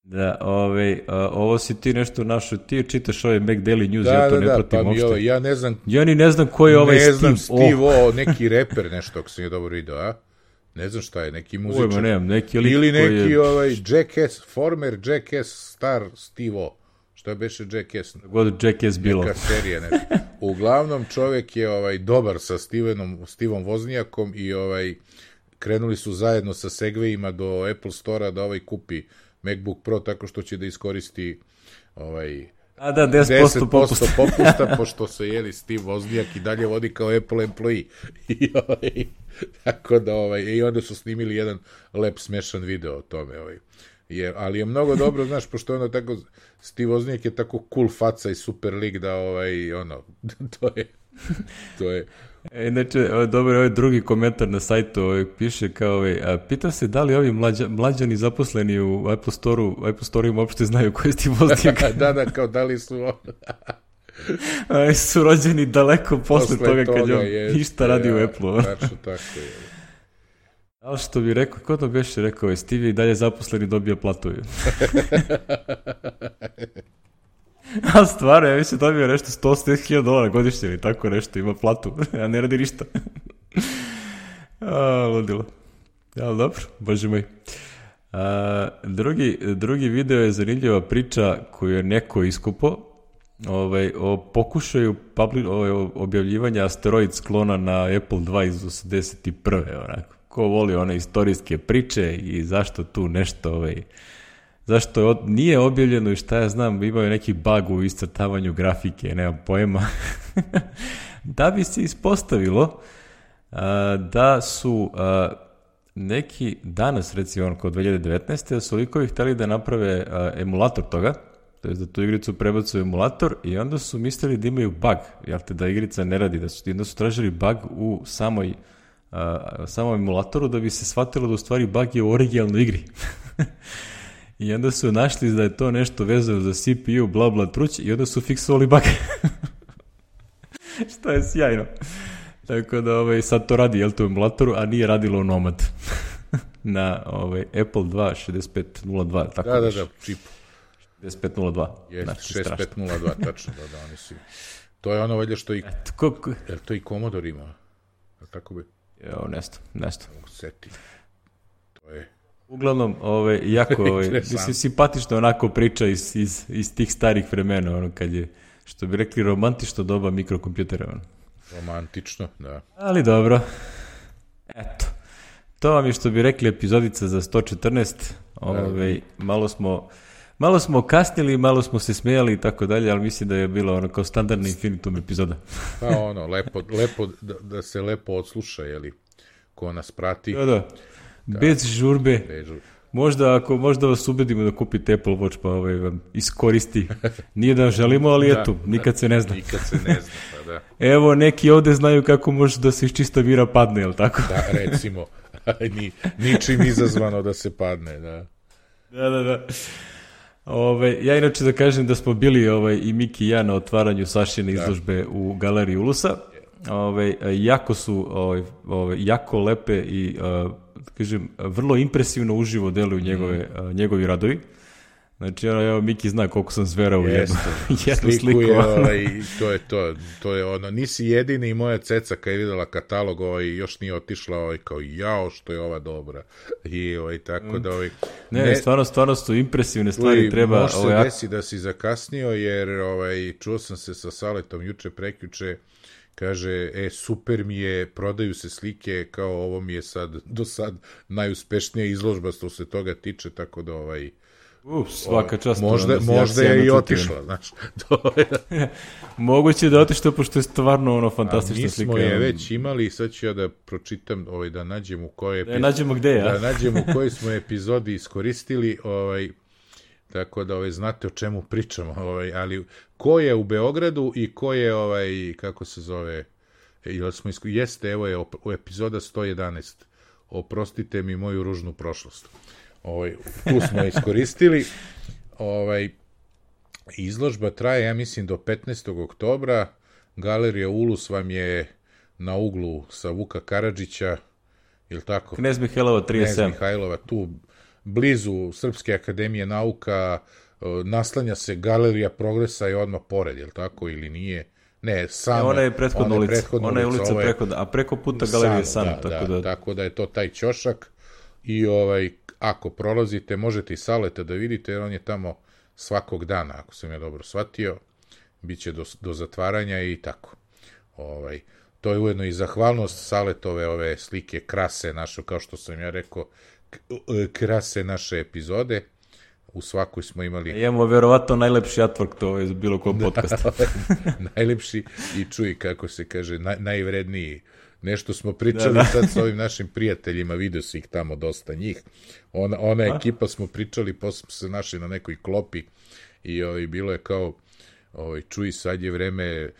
Da, ovaj, a, ovo si ti nešto našo, ti čitaš ovaj Mac Daily News, da, ja to da, ne da, pratim pa uopšte. Ovaj, ja ne znam... Ja ni ne znam ko je ovaj ne Steve. Ne znam, Steve O, oh. neki reper nešto, ako sam je dobro video, a? Ne znam šta je, neki muzičar. Ujma, nemam, neki lik ili neki koji je... ovaj Jackass, former Jackass star Steve O. Što je beše Jackass? God Jackass bilo. Neka serija, ne. Uglavnom čovjek je ovaj dobar sa Stevenom, Stevom Voznijakom i ovaj krenuli su zajedno sa Segwayima do Apple Store-a da ovaj kupi MacBook Pro tako što će da iskoristi ovaj A da, deset posto popusta. popusta, pošto se jeli Steve Voznijak i dalje vodi kao Apple employee. I, ovaj, tako da, ovaj, i onda su snimili jedan lep smešan video o tome. Ovaj. Je, ali je mnogo dobro, znaš, pošto je ono tako, Steve Voznijak je tako cool faca i super lik da, ovaj, ono, to je, to je, E, inače, dobro, ovaj drugi komentar na sajtu ovaj, piše kao, ovaj, a, pita se da li ovi mlađa, mlađani zaposleni u Apple Store-u, Apple Store-u uopšte znaju koji je Steve Wozniak. da, da, kao da li su a, su rođeni daleko posle, posle toga, toga kad je je, ništa radi ja, u Apple-u. Tačno tako je. Ali što bi rekao, ko to beše rekao, je Steve i dalje zaposleni dobija platu. A stvarno, ja mislim dobio nešto sto osamdeset hiljada dolara godišnje ili tako nešto, ima platu, a ne radi ništa. A, ludilo. Ali dobro, bože moj. A, drugi, drugi video je zanimljiva priča koju je neko iskupo ovaj, o pokušaju publi, ovaj, objavljivanja asteroid sklona na Apple dva iz osamdeset prve onako. Ko voli one istorijske priče i zašto tu nešto... Ovaj, zašto je od, nije objavljeno i šta ja znam, imaju neki bug u iscrtavanju grafike, nemam pojma, da bi se ispostavilo a, da su a, neki danas, recimo ono, kao dve hiljade devetnaeste. su likovi hteli da naprave a, emulator toga, to je da tu igricu prebacuju emulator i onda su mislili da imaju bug, jel te, da igrica ne radi, da su, onda su tražili bug u samoj, a, samom emulatoru da bi se shvatilo da u stvari bug je u originalnoj igri. I onda su našli da je to nešto vezano za C P U, bla bla truć, i onda su fiksovali bug. Što je sjajno. Tako da ovaj, sad to radi, jel to u emulatoru, a nije radilo u Nomad. Na ovaj, Apple dva šezdeset pet nula dva. Tako da, da, da, čipu. šezdeset pet nula dva. Jeste, šezdeset pet nula dva, tačno, da, da, oni su. To je ono valjda što i... Et, ko, ko... Jer to i Commodore ima. Tako bi... Jo, nesto, nesto. Seti. To je... Uglavnom, ovaj, jako, ovaj, mislim, simpatično onako priča iz, iz, iz tih starih vremena, ono, kad je, što bi rekli, romantično doba mikrokompjutera. Ono. Romantično, da. Ali dobro. Eto. To vam je, što bi rekli, epizodica za sto četrnaest. Ovaj, malo smo... Malo smo kasnili, malo smo se smijali i tako dalje, ali mislim da je bilo ono kao standardna Infinitum epizoda. Pa ono, lepo, lepo da, da se lepo odsluša, jeli, ko nas prati. Da, da. Da. Bez žurbe. Bez žurbe. Možda ako možda vas ubedimo da kupite Apple Watch, pa ovaj vam iskoristi. Nije da želimo, ali da, eto, nikad se ne zna. Nikad se ne zna, pa da. Evo, neki ovde znaju kako može da se iz čista mira padne, jel tako? Da, recimo. Ni, ničim izazvano da se padne, da. Da, da, da. Ove, ja inače da kažem da smo bili ovaj, i Miki i ja na otvaranju Sašine izložbe da. u Galeriji Ulusa. Ove, jako su ove, ove, jako lepe i a, kažem, vrlo impresivno uživo deluju njegove, mm. a, njegovi radovi. Znači, evo, Miki zna koliko sam zverao u jednu, jednu sliku. Je, ovaj, to je to, to je ono, nisi jedini i moja ceca kad je videla katalog, ovaj, još nije otišla, ovaj, kao jao što je ova dobra. I ovaj, tako da, ovaj, ne, ne, stvarno, stvarno su impresivne stvari, treba... Može ovaj, se desi da si zakasnio, jer ovaj, čuo sam se sa Saletom juče, prekjuče, kaže, e, super mi je, prodaju se slike, kao ovo mi je sad, do sad najuspešnija izložba što se toga tiče, tako da, ovaj, Uf, svaka čast. Možda, možda je i otišla, znaš. Moguće da je otišla, pošto je stvarno ono fantastična slika. A mi smo je već imali, sad ću ja da pročitam, ovaj, da nađem u kojoj epizodi, da nađemo gde, ja? Da nađem u kojoj smo epizodi iskoristili, ovaj, tako da ovaj, znate o čemu pričamo, ovaj, ali ko je u Beogradu i ko je, ovaj, kako se zove, jel smo isko... jeste, evo je u epizoda sto jedanaest, oprostite mi moju ružnu prošlost. Ovaj, tu smo iskoristili. Ovaj, izložba traje, ja mislim, do petnaestog oktobra. Galerija Ulus vam je na uglu sa Vuka Karadžića, je li tako? Knez Mihajlova trideset sedam. Knez Mihajlova, tu blizu Srpske akademije nauka, naslanja se Galerija Progresa i odmah pored, je li tako, ili nije? Ne, samo. Ona je prethodna ulica, ona je ulica prethodna, a preko puta Galerije je San. Da, tako, da, da... tako da je to taj ćošak i ovaj, ako prolazite, možete i Saleta da vidite, jer on je tamo svakog dana, ako sam ja dobro shvatio, bit će do, do zatvaranja i tako. Ovaj, to je ujedno i zahvalnost Saletove ove slike krase naše, kao što sam ja rekao, krase naše epizode. U svakoj smo imali... Imamo verovatno najlepši artwork, to je bilo kod podcasta. Najlepši i čuj, kako se kaže, naj, najvredniji. Nešto smo pričali da, da. sad sa ovim našim prijateljima, vidio si ih tamo dosta njih. Ona, ona ekipa smo pričali, posle smo se našli na nekoj klopi i ovaj, bilo je kao, ovaj, čuj, sad je vreme,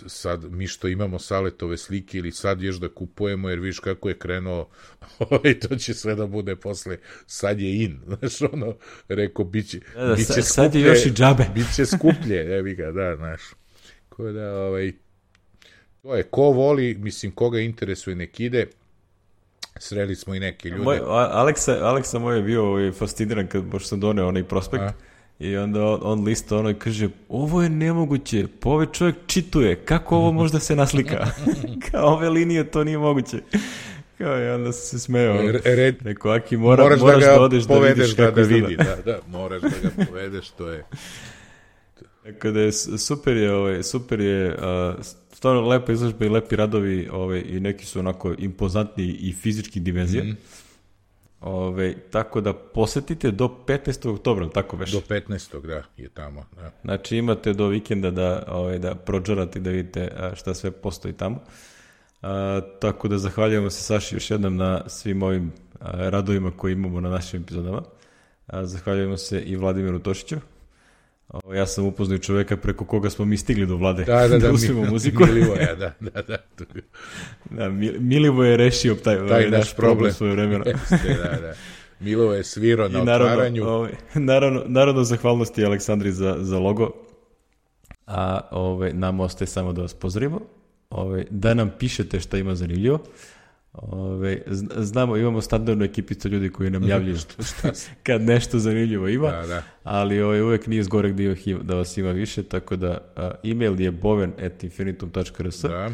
sad mi što imamo Saletove slike ili sad još da kupujemo, jer viš kako je krenuo, ovaj, to će sve da bude posle, sad je in, znaš, ono, rekao, bit će, da, da, bit će sad, skuplje, sad je još i džabe. Bit će skuplje, evi ga, da, znaš, ko da, ovaj, to je, ko voli, mislim, koga interesuje nek ide, sreli smo i neke ljude. Moj, Aleksa, Aleksa moj je bio ovaj, fasciniran kad baš sam doneo onaj prospekt. A? I onda on, on lista ono i kaže, ovo je nemoguće, pa ovaj čovjek čituje, kako ovo možda se naslika? Kao ove linije, to nije moguće. Kao i onda se smeo. Red, Rekao, Aki, mora, moraš, moraš da, da odeš da vidiš da, kako da vidi, da, da, moraš da ga povedeš, to je... Tako da je super je, ovaj, super je, uh, stvarno lepa izložba i lepi radovi, ovaj, i neki su onako impozantni i fizički dimenzije. Mm. Ove, tako da posetite do petnaestog oktobra, tako već? Do petnaestog da, je tamo. Da. Znači imate do vikenda da, ove, da prođarate i da vidite šta sve postoji tamo. A, tako da zahvaljujemo se Saši još jednom na svim ovim a, radovima koje imamo na našim epizodama. A, zahvaljujemo se i Vladimiru Tošiću. O, ja sam upoznao čoveka preko koga smo mi stigli do Vlade da, da, da, da usvimo mi, muziku. Milivoja, da, da, da. da Milivo je rešio taj, taj ovaj, naš problem, problem svoje vremena. Jeste, da, da. Milivo je svirao na naravno, otvaranju. Ovaj, naravno, naravno, zahvalnosti Aleksandri za, za logo. A ovaj, nam ostaje samo da vas pozdravimo. Ovaj, da nam pišete šta ima zanimljivo. Ove, znamo, imamo standardnu ekipicu ljudi koji nam javljaju kad nešto zanimljivo ima, da, da. ali ove, uvek nije zgorek da, ima, da vas ima više, tako da a, email je boven at infinitum dot r s da.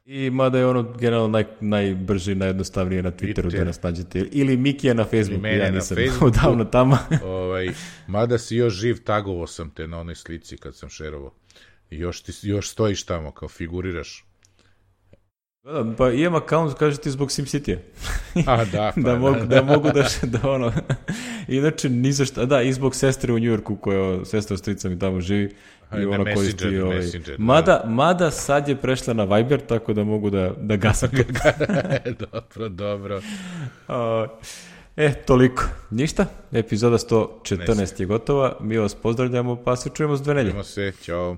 I mada je ono generalno naj, najbrže i najjednostavnije na Twitteru Twitter. Da nas nađete, ili Miki je na Facebooku, ja nisam odavno tamo. ovaj, mada si još živ, tagovo sam te na onoj slici kad sam šerovao, još, ti, još stojiš tamo kao figuriraš. Da, pa imam account, kaže ti, zbog SimCity-a. A, da, pa, da, mogu, da, da, da mogu da, da ono, inače, ni za šta, da, i zbog sestre u Njujorku, koja sestra strica mi tamo živi, i ona koristi ovaj, mada, da. mada sad je prešla na Viber, tako da mogu da, da gasam. dobro, dobro. Uh, e, toliko. Ništa, epizoda sto četrnaest je gotova, mi vas pozdravljamo, pa se čujemo s dve nelje. Čujemo se, čao.